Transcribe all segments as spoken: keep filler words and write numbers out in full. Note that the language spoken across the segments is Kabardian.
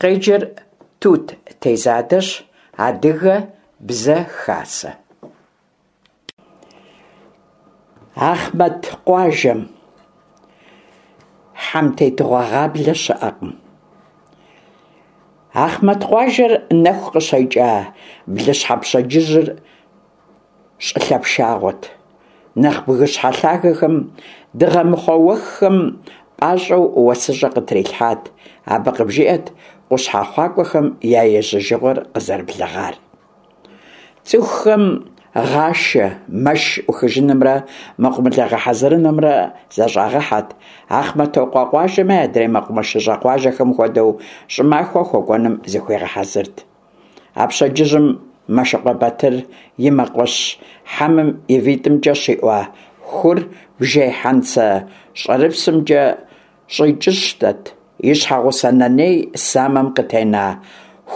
Къеджэр Тут Тезадэщ. Адыгэ Бзэ Хасэ. Ахъмэт къуажэм. Хьэмтетыгъуэ гъаблэ щыӏэкъым. Ахъмэт къуажэр нэху къыщекӏа блыщхьэ пщэдджыжьыр щӏылъэ пшагъуэт. Нэхъ бгыщхьэ лъагэхэм дыгъэмыхъуэ уэххэм пӏащӏэу уэсыщӏэ къытрилъхьат. Абы къыбжиӏэт къущхьэхъуакӏуэхэм я ежьэжыгъуэр къызэрыблэгъар. Цӏыхухэм гъашэ, мэш ӏухыжынымрэ мэкъумылэ гъэхьэзырынымрэ зэщӏагъэхьэт. Ахъмэтокъуэ къуажэми адрей мэкъумэшыщӏэ къуажэхэм хуэдэу щӏымахуэ хуэкӏуэным зыхуигъэхьэзырт. А пщэдджыжьым Мэшыкъуэ Батыр и мэкъуэщ хьэмым и витӏымкӏэ щиӏуа хур бжей хьэнцэ щӏэрыпсымкӏэ щӏикӏыщтэт, и щхьэгъусэ Нэней самэм къытена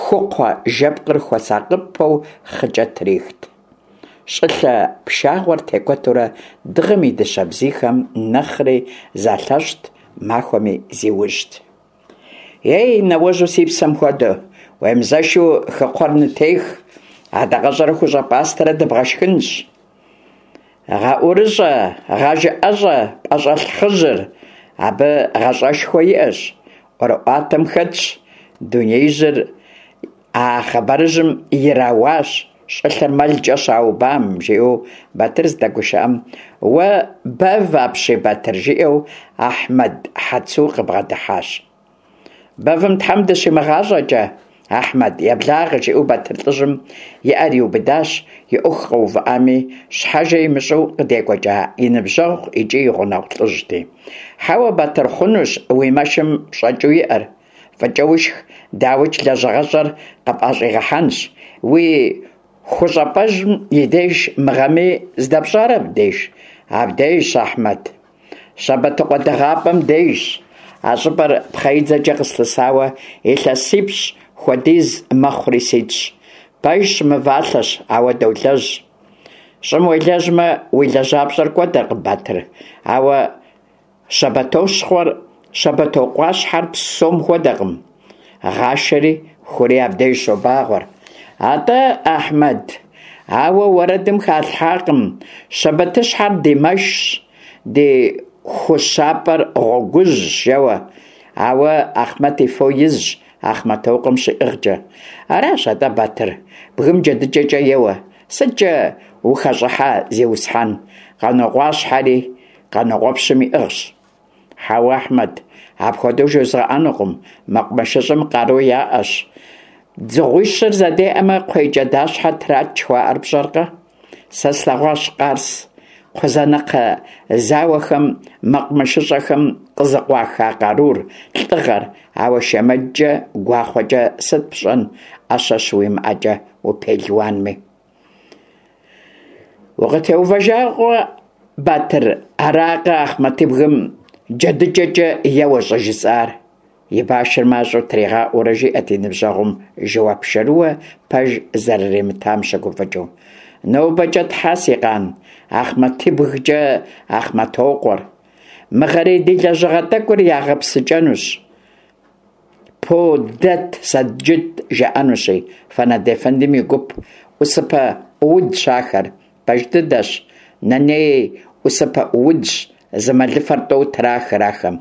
хукхъуэ жэпкъыр хуэсакъыпэу хъыкӏэ трихт. Щӏылъэ пшагъуэр текӏуэтурэ дыгъэм и дыщэ бзийхэм нэхъри залъэщӏт, махуэми зиужьт. Ей, нэуэжьу си псэм хуэдэ, уемызэшу хыкхъуэр нытех, адакъэщӏэрэ хущӏэ пӏастэрэ дыбгъэшхынщ. Гъэӏурыщӏэ, гъэжыӏэщӏэ пӏэщӏэлъ хъыжьыр, абы гъащӏэшхуэ иӏэщ, ӏуэрыӏуатэм хэтщ, дунеижьыр а хъыбарыжьым ирауащ, щӏылъэр мэлкӏэ щаубам, жиӏэу Батыр здэгушыӏэм, уэ бэв апщий, Батыр, жиӏэу Ахьмэд Хьэцу къыбгъэдыхьащ. Бэвым Тхьэм дыщимыгъащӏэкӏэ, Ахьмэд, еблагъэ, жиӏэу Батыр лӏыжьым и ӏэр иубыдащ, и ӏуэху къэувыӏами, щхьэжэ имыщӏэу къыдекӏуэкӏа и ныбжьэгъу икӏи и гъунэгъу лӏыжьти. Хьэуэ, Батыр, хъунущ уи мэшым пщӏэкӏыу иӏэр. Фӏыкӏэ ушх, дауикӏ, лэжьыгъэщӏэр къыпӏэщӏигъэхьэнщ. Уи хущӏэпӏэжьым и деж мы гъэми здэпщӏар абдеж? Абдежщ, Ахьмэд. Щэбэтыкъуэ дыгъапӏэм дежщ. А щӏыпӏэр пхъэидзэкӏэ къыслъысауэ илъэсипщӏ хуэдиз мэхъури ситщ. Пэжщ, мывалъэщ, ауэ долэжь. Щӏым уелэжьмэ, уи лэжьапщӏэр кӏуэдыркъым, Батыр, ауэ Щэбэтощхъуэр Щэбэтокъуащхьэр псом хуэдэкъым. Гъашэри хури абдеж щобагъуэр. Атӏэ, Ахьмэд, ауэ уэрэдым халъхьакъым Щэбэтыщхьэр ди мэшщ, ди хущапӏэр гъуэгужьщ, жэуэ. Ауэ Ахъмэт и фо изщ Ахъмэтокъуэм щиӏыгъкӏэ. Аращ атӏэ, Батыр, бгым джэдыкӏэкӏэ еуэ. Сыткӏэ ухэщӏыхьа, зиусхьэн, Къанокъуащхьэри Къанокъуэпщым иӏыгъщ. Хьэуэ, Ахьмэд, апхуэдэу жозгъэӏэнукъым, мэкъумэшыщӏэм къару яӏэщ. Дзыгъуищыр зэдеӏэмэ, кхъуейкӏэдащхьэ трач жыхуаӏэр пщӏэркъэ? Сэ слъэгъуащ Къарс, Кхъузанэкхъэ зауэхэм мэкъумэшыщӏэхэм къызыкъуаха къарур, лӏыгъэр, ауэ шэмэджкӏэ, гуахъуэкӏэ сыт пщӏэн, ӏэщэ щыуимыӏэкӏэ упелуанми. Укъытеувэжакъуэ, Батыр, аракъэ Ахъмэтыбгым джэдыкӏэкӏэ еуэ щӏыжысӏар? И башыр мащӏэу тригъаӏуэурэ жиӏэт и ныбжьэгъум жэуап шэрыуэ пэж зэрыримытам щыгуфӏыкӏыу. Нобэкӏэ тхьэ, си къан, Ахъмэтыбгкӏэ Ахъмэтокъуэр. Мыгъэрей ди лэжьыгъэ тӏэкӏур ягъэпсыкӏэнущ. По дэт сэджыт жаӏэнущи, Фэнэд ефэндым и гуп ӏусыпэ ӏуудщ ахэр. Пэж дыдэщ, Нэней ӏусыпэ ӏуудщ, зы мэлыфэр тӏэу трахыр ахэм.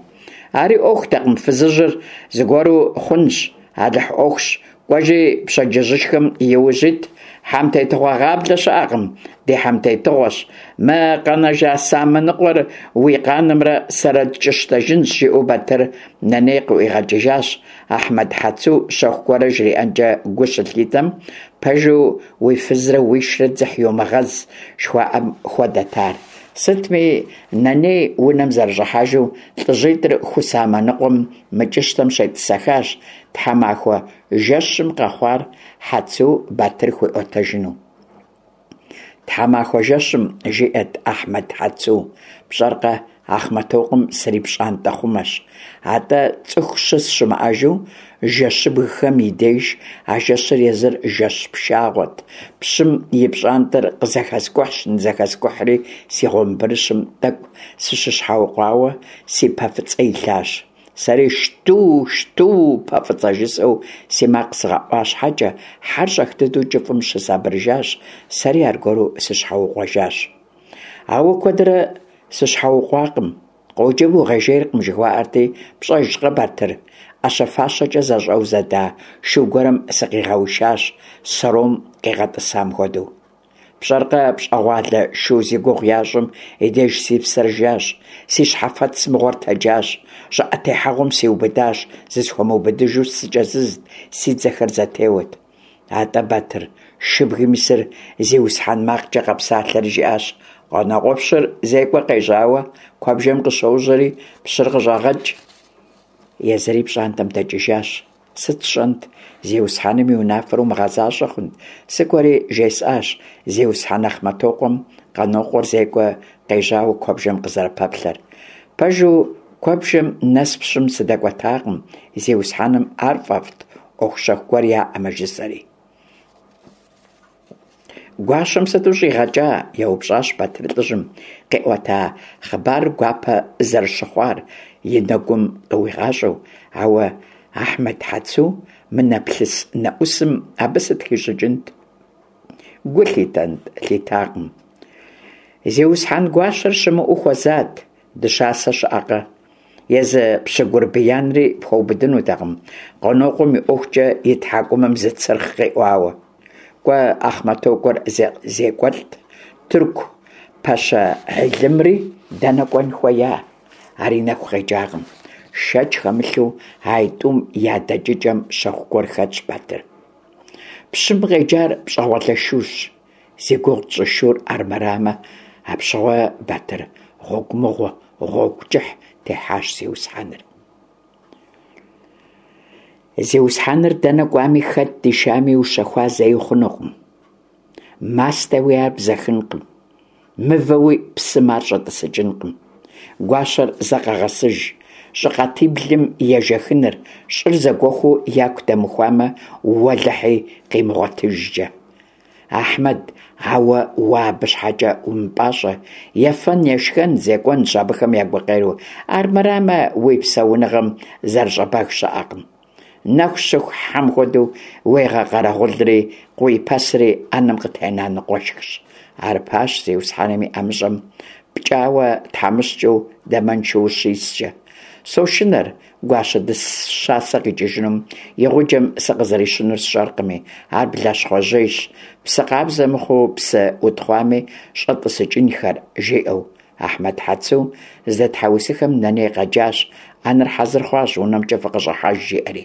Ари ӏуэхутэкъым, фызыжьыр зыгуэру хъунщ, Алыхь ӏуэхущ, кӏуэжи пщэдджыжьышхэм и ужь ит. Хьэмтетыгъуэ гъаблэ щыӏэкъым, ди хьэмтетыгъуэщ. Мы къэнэжа самэ ныкъуэр уи къанымрэ сэрэ ткӏыщтэжынщ, жиӏэу Батыр Нэней къыӏуигъэкӏыжащ. Ахьмэд Хьэцу щэху гуэрэ жриӏэнкӏэ гу щылъитэм, пэжу уи фызрэ уишрэ дзыхь йумыгъэз жыхуаӏэм хуэдэт ар. Сытми, Нэней унэм зэрыщӏыхьэжу лӏыжьитӏыр ху самэ ныкъуэм мыкӏыщтэм щетӏысэхащ, тхьэмахуэ жэщым къэхъуар Хьэцу Батыр хуиӏуэтэжыну. Тхьэмахуэ жэщым, жиӏэт Ахьмэд Хьэцу, пщӏэркъэ, Ахъмэтокъуэм срипщӏантӏэхъумэщ. Атӏэ цӏыху щыс щымыӏэжу жэщыбгхэм и деж, а жэщыр езыр жэщ пшагъуэт, пщым и пщӏантӏэр къызэхэскӏухьщ-нызэхэскӏухьри, си гъуэмбырыщым тӏэкӏу сыщыщхьэукъуауэ си пэ фӏыцӏэ илъащ. Сэри «Шту, шту, пэ фӀыцӀэ!» жысӀэу си макъ згъэӀуа щхьэкӀэ, хьэр щӀэх дыдэу кӀыфӀым щысабырыжащ, сэри аргуэру сыщхьэукъуэжащ. Ауэ куэдрэ сыщхьэукъуакъым, къоджэм уигъэжейркъым жыхуаӀэрти, пщӀэжкъэ, Батыр, Ӏэщэ-фащэкӀэ зэщӀэузэда шу гуэрым сыкъигъэушащ, сэром къигъэтӀысам хуэдэу. ПщӀэркъэ, пщӀэгъуалэ шу зи гугъу ящӀым и деж си псэр жащ, си щхьэфэц мыгъуэр тэджащ, щӀыӀэ техьэгъуэм сиубыдащ, зысхуэмыубыдыжу сыкӀэзызт, си дзэхэр зэтеуэт. АтӀэ, Батыр, шыбгым исыр зиусхьэн макъкӀэ къэпсалъэри жиӀащ: «Къанокъуэпщыр зекӀуэ къежьауэ куэбжэм къыщожьэри, пщыр къыщӀэгъэкӀ». Езыри пщӀантӀэм дэкӀыжащ. Сыт сщӀэнт, зиусхьэным и унафэр умыгъэзащӀэ хъунт, сыкӀуэри жесӀащ зиусхьэн Ахъмэтокъуэм Къанокъуэр зекӀуэ къежьауэ куэбжэм къызэрыпэплъэр. Пэжу, куэбжэм нэс пщым сыдэкӀуэтакъым, зиусхьэным ар фӀэфӀт, Ӏуэху щэху гуэр яӀэмэ, жысӀэри. «Гуащэм сыту щӀигъэкӀа?» – еупщӀащ Батыр лӀыжьым, къиӀуэта хъыбарыр гуапэ зэрыщыхъуар и нэгум къыуигъащӀэу, ауэ Ахьмэд Хьэцу мынэплъыс-нэӀусым абы сыт хищӀыкӀынт? Гу лъитэнт, лъитакъым. Зиусхьэн гуащэр щымыӀэу хуэзат, дыщасэ щыӀэкъэ? Езы пщы гурбиянри пхуэубыдынутэкъым, Къанокъуэм и ӀуэхукӀэ и тхьэкӀумэм зы цырхъ къиӀуауэ. КӀуэ, Ахъмэтокъуэр зекӀуэлӀт, тырку пэщэ Гьилымри дэнэ кӀуэн хуея? Ари нэху къекӀакъым. Шэч хэмылъу, аитӀум я дэкӀыкӀэм щэху гуэр хэтщ, Батыр. Пщым къеджар пщӀэгъуалэ шущ. Зи гугъу тщӀы шур армырамэ, апщыгъуэ, Батыр, гъуэгу мыгъуэ, гъуэгу кӀыхь техьащ зиусхьэныр. Зиусхьэныр дэнэ кӀуами, хэт дишами ущэхуа зэи хъунукъым. Мастэуи ар бзэхынкъым, мывэуи псым ар щӀэтӀысыкӀынкъым. Гуащэр зэ къэгъэсыж, щӀы къатиблым ежэхыныр, щӀыр зэгуэхуу яку дэмыхуамэ, уэлэхьи, къимыгъуэтыжкӀэ. Ахьмэд, ауэ уэ абы щхьэкӀэ умыпӀащӀэ, ефэн-ешхэн, зекӀуэнщ абыхэм я гукъеуэр, армырамэ уи псэуныгъэм зэрыщӀэбэг щыӀэкъым. Нэху щыху хьэм хуэдэу уегъэкъэрэгъулри, къыуипэсри Ӏэнэм къытена ныкъуэшхщ. Арыпащ зиусхьэным и ӀэмыщӀэм пкӀауэ тхьэмыщкӀэу, дамэншэу ущискӀэ. Сошынэр, гуащэ дыщасэ къикӀыжынум и гъуджэм сыкъызэрищынур сщӀэркъыми, ар блащхъуэжьейщ, псы къабзэ мыхъуу псы утхъуами щӀэтӀысыкӀынхэр, жиӀэу. Ахьмэд Хьэцу здэтхьэусыхэм Нэней къэджащ, Ӏэнэр хьэзыр хъуащ, унэмкӀэ фыкъыщӀыхьэж, жиӀэри.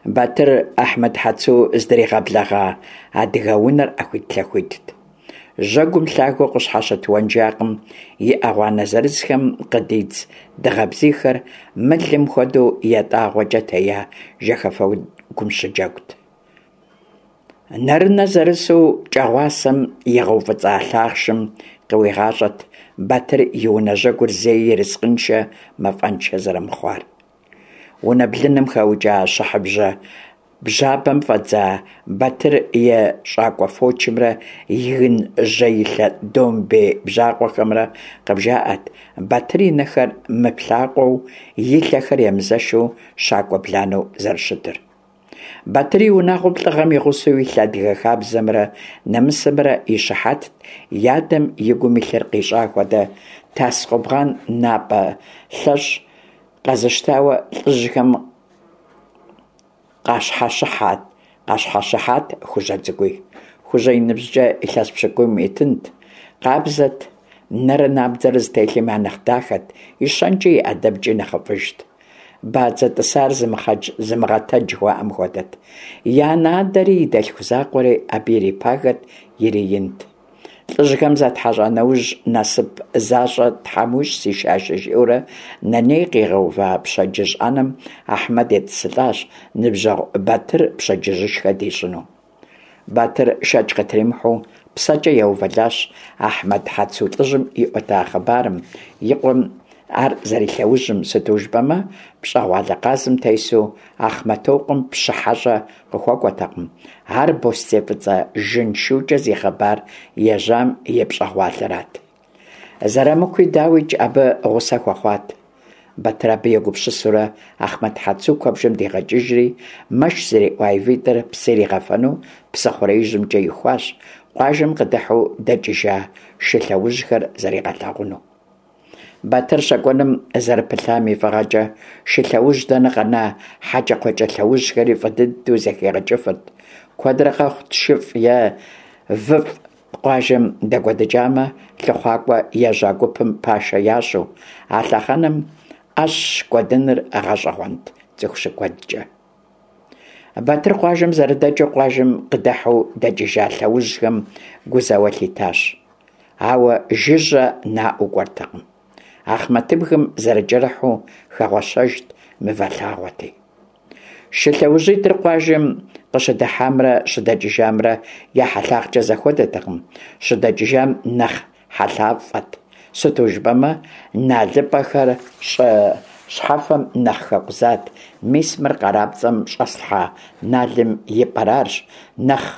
Батыр Ахьмэд Хьэцу здригъэблэгъа адыгэ унэр Ӏэхуитлъэхуитт. Жьэгум лъагэу къыщхьэщыт уэнжакъым и Ӏэгъуанэ зырызхэм къыдидз дыгъэ бзийхэр мылым хуэдэу ятӀагъуэкӀэ тея жэхэфэгум щыджэгут. Нэрынэ зэрысу кӀэгъуасэм егъэуфӀыцӀа лъахъшым къыуигъащӀэт Батыр и унэ жьэгур зэи ерыскъыншэ, мафӀэншэ зэрымыхъуар. Унэ блыным хэукӀа щыхьыбжьэ бжьабэм фӀэдза Батыр и щӀакӀуэ фочымрэ и гын жьэилъэ домбей бжьакъуэхэмрэ къыбжаӀэт Батыр и нэхэр мыплъакъуэу, и лъэхэр емызэшу щакӀуэ бланэу зэрыщытыр. Батыр и унагъуэм лӀыгъэм и гъусэу илъ адыгэ хабзэмрэ нэмысымрэ и щыхьэтт и адэм и гум илъыр къищӀа хуэдэ тас-къубгъан напӀэ лъэщӀ къэзыщтауэ лӀыжьхэм къащхьэщыхьат Хужьэ цӀыкӀуи. Хужьэ и ныбжькӀэ илъэс пщыкӀуийм итынт, къабзэт, нэрэ набдзэрэ зытелъым я нэхъ дахэт, и щэнкӀи и ӀэдэбкӀи нэхъыфӀыжт. Бадзэ тӀысар зымыгъэтэдж жыхуаӀэм хуэдэт. И анэ-адэри и дэлъху закъуэри абы ирипагэт, ириинт. ЛӀыжьхэм затхьэщӀа нэужь, насып защӀэ Тхьэм уищӀ, си шашэ, жиӀэурэ Нэней къигъэува пщэдджыжь Ӏэнэм Ахьмэд етӀысылӀащ, ныбжьэгъу Батыр пщэдджыжьышхэ дищӀыну. Батыр шэч къытримыхьэу псэкӀэ еувэлӀащ Ахьмэд Хьэцу лӀыжьым иӀуэта хъыбарым, и къуэм ар зэрилъэужьым, сыту жыпӀэмэ пщӀэгъуалэ къазым тесу Ахъмэтокъуэм пщы хьэщӀэ къыхуэкӀуэтэкъым, ар бостей фӀыцӀэ жын шукӀэ зи хъыбар ежьам и пщӀэгъуалэрат. Зэрамыкуи, дауикӀ, абы гъусэ хуэхъуат. Батыр абы егупсысурэ, Ахъмэт Хьэцу куэбжэм дигъэкӀыжри, мэш зэриӀуа и витӀыр псы иригъэфэну псыхъуреижьымкӀэ ихуащ, къуажэм къыдыхьэу дэкӀыжа шы лъэужьхэр зэригъэлъагъуну. Батыр щэкӀуэным зэрыпылъам и фӀыгъэкӀэ, шы лъэужь дэнэ къэна, хьэкӀэкхъуэкӀэ лъэужьхэри фӀы дыдэу зэхигъэкӀыфырт. Куэдрэ къэхъут шыфӀ е выфӀ къуажэм дэкӀуэдыкӀамэ, лъыхъуакӀуэ ежьа гупым пашэ ящӀу. А лъэхъэнэм Ӏэщ кӀуэдыныр гъэщӀэгъуэнт цӀыху щыкӀуэдкӀэ. Батыр къуажэм зэрыдэкӀыу къуажэм къыдыхьэу дэкӀыжа лъэужьхэм гу зэуэ лъитащ. Ауэ жыжьэ наӀуэу кӀуэртэкъым. Ахъмэтыбгым зэрыкӀэрыхьу хэгъуэщэжт, мывэ лъагъуэти. Шы лъэужьитӀыр къуажэм къыщыдыхьамрэ щыдэкӀыжамрэ я хьэлъагъкӀэ зэхуэдэтэкъым, щыдэкӀыжам нэхъ хьэлъафӀэт, сыту жыпӀэмэ налыпӀэхэр щӀы щхьэфэм нэхъ хэкъузат, мис мыр къарапцӀэм щӀэслъхьа налым и пӀэр арщ нэхъ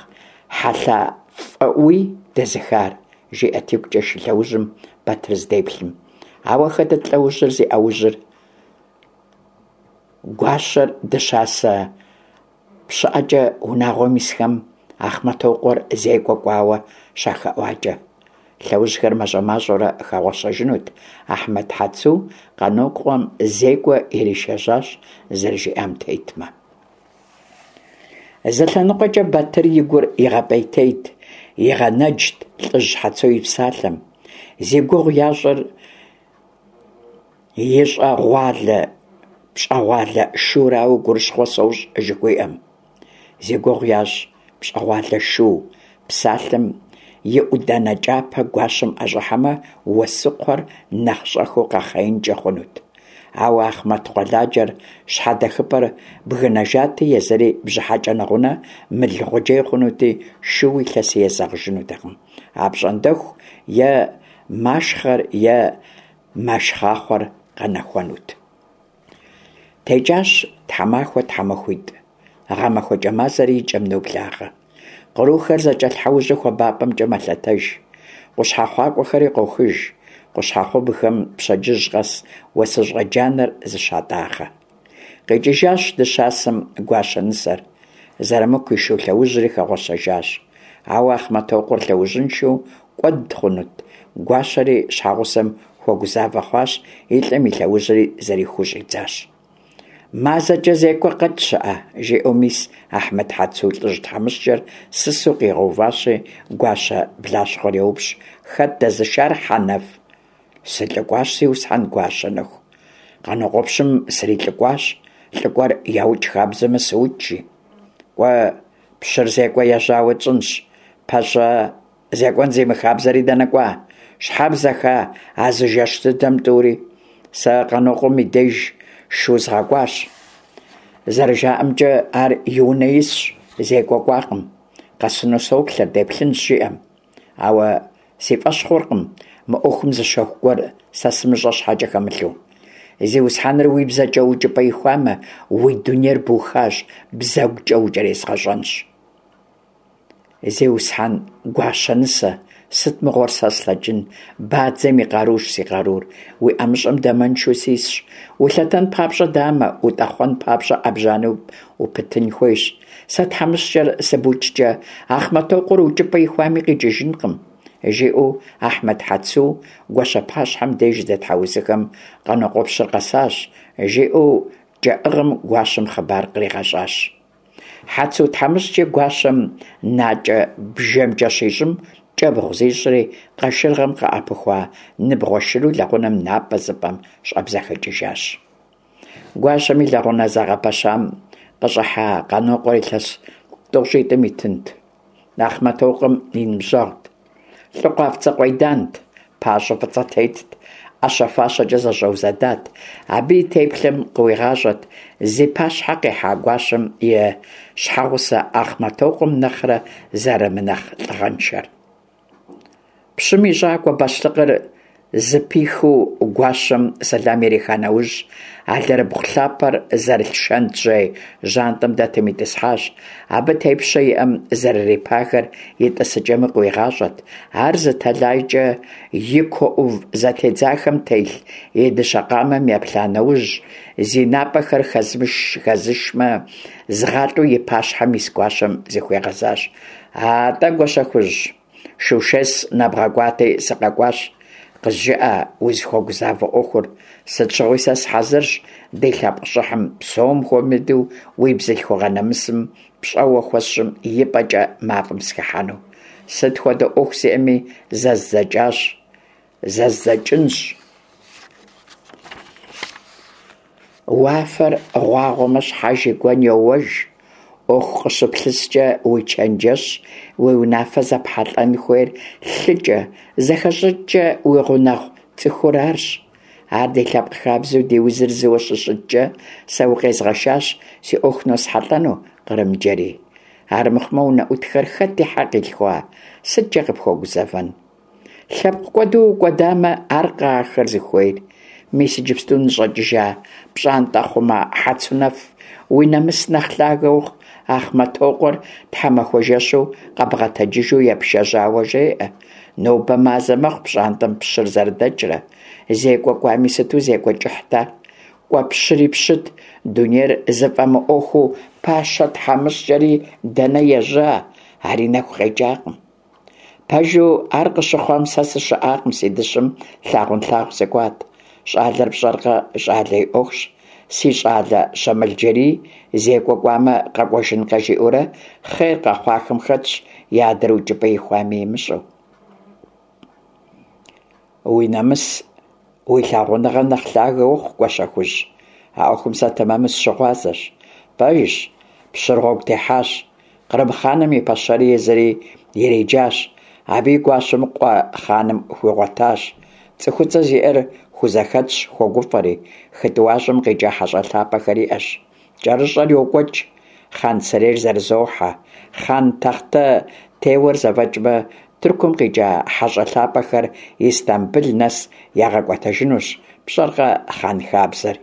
хьэлъафӀэӀуи дэзыхар, жиӀэрт игукӀэ шы лъэужьым Батыр здеплъым. Ауэ хэтыт лъэужьыр зи Ӏэужьыр? Гуащэр дыщасэ пщыӀэкӀэ унагъуэм исхэм Ахъмэтокъуэр зекӀуэ кӀуауэ щахэӀуакӀэ. Лъэужьхэр мащӀэ-мащӀэурэ хэгъуэщэжынут, Ахьмэд Хьэцу Къанокъуэм зекӀуэ иришэжьащ зэрыжиӀам тетмэ. Зы лъэныкъуэкӀэ Батыр и гур игъэпӀейтейт, игъэнэджт лӀыжь Хьэцу и псалъэм. Зи гугъу ящӀыр и щӀэгъуалэ пщӀэгъуалэ шурауэ гурыщхъуэ сощӀ жыхуиӀэм. Зи гугъу ящӀ пщӀэгъуалэ шу псалъэм и Ӏуданэ кӀапэ гуащэм ӀэщӀыхьэмэ, уэсукхъуэр нэхъ щӀэхыу къэхъеинкӀэ хъунут. Ауэ Ахъмэт къуэладжэр щхьэдэхыпӀэр бгынэжати, езыри бжьыхьэкӀэ нэгъунэ мыл гъуджей хъунути, шууи лъэси езэгъыжынутэкъым. АпщӀондэху е машхъэр, е мэшхъахъуэр къэнэхуэнут. ТекӀащ тхьэмахуэ, тхьэмахуитӀ. ГъэмахуэкӀэ мазэри и кӀэм ноблагъэ. Кърухэр зэкӀэлъхьэужьу хуабапӀэмкӀэ мэлъэтэж. КъущхьэхъуакӀуэхэри къохыж. Къущхьэхъубгыхэм пщэдджыжь къэс уэсыщӀэ джанэр зыщатӀагъэ. КъикӀыжащ дыщасэм гуащэ нысэр. Зэрымыку и шу лъэужьри хэгъуэщэжащ. Ауэ Ахъмэтокъуэр лъэужьыншэу кӀуэд хъунут. Гуащэри щхьэгъусэм хуэгузавэ хъуащ, и лӀым и лъэужьри зэрихуу щӀидзащ. МазэкӀэ зекӀуэ къэкӀ щыӀэ, жиӀэу мис Ахьмэд Хьэцу лӀыжь тхьэмыщкӀэр сысу къигъэуващи, гуащэ блащхъуэр еупщӀ: «Хэт дэзышар, Хьэнэф?» «СылӀыкӀуащ, зиусхьэн гуащэ нэху. Къанокъуэпщым срилӀыкӀуащ. ЛӀыкӀуэр яукӀ хабзэмэ, сыукӀ», жи. «КӀуэ, пщыр зекӀуэ ежьауэ тщӀынщ. ПащӀэ зекӀуэн зимыхабзэри дэнэ кӀуа? Щхьэ бзэха а зы жэщ дыдэм тӀури? Сэ Къанокъуэм и деж шу згъэкӀуащ. ЗэрыжаӀэмкӀэ, ар и унэ исщ, зекӀуэ кӀуакъым. Къэсыну соплъэр, деплъынщ жиӀэм. Ауэ си фӀэщ хъуркъым мы Ӏуэхум зы щэху гуэр сэ сымыщӀэ щхьэкӀэ хэмылъу. Зиусхьэныр уи бзэкӀэ укӀыпӀэ ихуамэ, уи дунейр бухащ, бзэгукӀэ укӀэрезгъэщӀэнщ. Зиусхьэн гуащэ нысэ, сыт мыгъуэр сэ слъэкӀын, бадзэм и къарущ си къарур, уи ӀэмыщӀэм дамэншэу сисщ. Улъэтэн папщӀэ дамэ, утӀэхъуэн папщӀэ Ӏэбжьанэ упытын хуейщ. Сэ тхьэмыщкӀэр сыбукӀкӀэ, Ахъмэтокъуэр укӀыпӀэ ихуами къикӀыжынкъым», жиӀэу Ахьмэд Хьэцу гуащэ пащхьэм деж здэтхьэусыхэм, Къанокъуэпщыр къэсащ, жиӀэу кӀэӀыгъым гуащэм хъыбар къригъэщӀащ. Хьэцу тхьэмыщкӀи гуащэм накӀэ бжэмкӀэ щищӀым, кӀэбгъу зищӀри, къашыргъэм къыӀэпыхуа ныбгъуэ шыру лэгъунэм напӀэ зыпӀэм щӀэбзэхыкӀыжащ. Гуащэм и лэгъунэ зэгъэпэщам къыщӀыхьа Къанокъуэр илъэс тӀощӀитӀым итынт. Ахъмэтокъуэм и ныбжьэгъут. ЛӀы къуафцӀэ къуейдант, пащӀэ фӀыцӀэ тетт, Ӏэщэ-фащэкӀэ зэщӀэузэдат. Абы и теплъэм къыуигъащӀэрт зи пащхьэ къихьа гуащэм и щхьэгъусэ Ахъмэтокъуэм нэхърэ зэрымынэхъ лӀыгъэншэр. Пщым и щӀакӀуэ бащлъыкъыр зыпихыу гуащэм сэлам ириха нэужь, алэрыбгъу лъапэр зэрылъ шэнтжьей жьантӏэм дэтым итӏысхьащ. Абы тепщэ иӏэм зэрырипагэр и тӏысыкӏэми къыуигъащӏэрт. Ар зы тэлайкӏэ и куэ ӏув зэтедзахэм телъ и дыщэ къамэм еплъа нэужь, зи напӏэхэр хэзышмэ зыгъалӏэу и пащхьэм ис гуащэм зыхуигъэзащ: «АтӀэ, Гуащэхужь, шушэс нэбгъэкӏуати, сыкъэкӏуащ, къызжыӏэ узыхуэгузавэ ӏуэхур, сыт щыгъуи сэ сыхьэзырщ ди лъэпкъ щӏыхьым, псом хуэмыдэу уи бзылъхугъэ нэмысым пщӏэуэ хуэсщӏым и пӏэкӏэ мафӏэм сыхыхьэну. Сыт хуэдэ ӏуэху сиӏэми зэздзэкӏащ, зэздзэкӏынщ. Уафэр гъуагъуэмэ, щхьэж и гуэн йоуэж. Ӏуэху къыщыплъыскӀэ, уи чэнджэщ, уи унафэ зэпхьэлӀэн хуейр лъыкӀэ, зэхэщӀыкӀкӀэ уи гъунэгъу цӀыхур арщ. Ар ди лъэпкъ хабзэу ди узыр зыуэ щыщыткӀэ, сэ укъезгъэшащ си Ӏуэху носхьэлӀэну, Кърымджэрий. Армыхъумэ, унэӀутхэр хэт и хьэ къилъхуа, сыткӀэ къыпхуэгузэвэн? ЛъэпкъкӀуэду укӀуэдамэ, аркъэ ахэр зыхуейр? Мис иджыпсту ныщӀэкӀыжа пщӀантӀэхъумэ Хьэцунэф, уи нэмыс нэхъ лъагэ ухъу, Ахъмэтокъуэр тхьэмахуэ жэщу къэбгъэтэджыжу епшэжьауэ жеӀэ. Нобэ мазэ мэхъу пщӀантӀэм пщыр зэрыдэкӀрэ. ЗекӀуэ кӀуами, сыту зекӀуэ кӀыхьт ар. КӀуэ пщыри пщыт, дунейр зыфӀэмыӀуэхуу пащэ тхьэмыщкӀэри дэнэ ежьа, ари нэху къекӀакъым. Пэжу, ар къыщыхъуам сэ сыщыӀакъым, си дыщым лъагъунлъагъу сыкӀуат. ЩӀалэр пщӀэркъэ, щӀалэ и Ӏуэхущ. Си щӀалэ Щэмылджэрий зекӀуэ кӀуамэ, къэкӀуэжынкъэ жиӀэурэ, хъер къэхъуахэм хэтщ, и адэр укӀыпӀэ ихуами имыщӀэу. Уи нэмыс, уи лъагъуныгъэ нэхъ лъагэ ухъу, Гуащэхужь, а Ӏуэхум сэ тэмэму сыщыгъуазэщ. Пэжщ, пщыр гъуэгу техьащ, кърым хъаным и пэщэри езыри ириджащ, абы и гуащэм къуэ хъаным хуигъуэтащ. ЦӀыхуцӀэ зиӀэр хузэхэтщ, хуогуфӀэри, хы тӀуащӀэм къикӀа хьэщӀэ лъапӀэхэр иӀэщ. КӀэрыщӀэр йокӀуэкӀ, хъан сэрейр зэрызохьэ. Хъан тахътэ теуэр зэфӀэкӀмэ, Тыркум къикӀа хьэщӀэ лъапӀэхэр Истамбыл нэс ягъэкӀуэтэжынущ, пщӀэркъэ хъан хабзэр?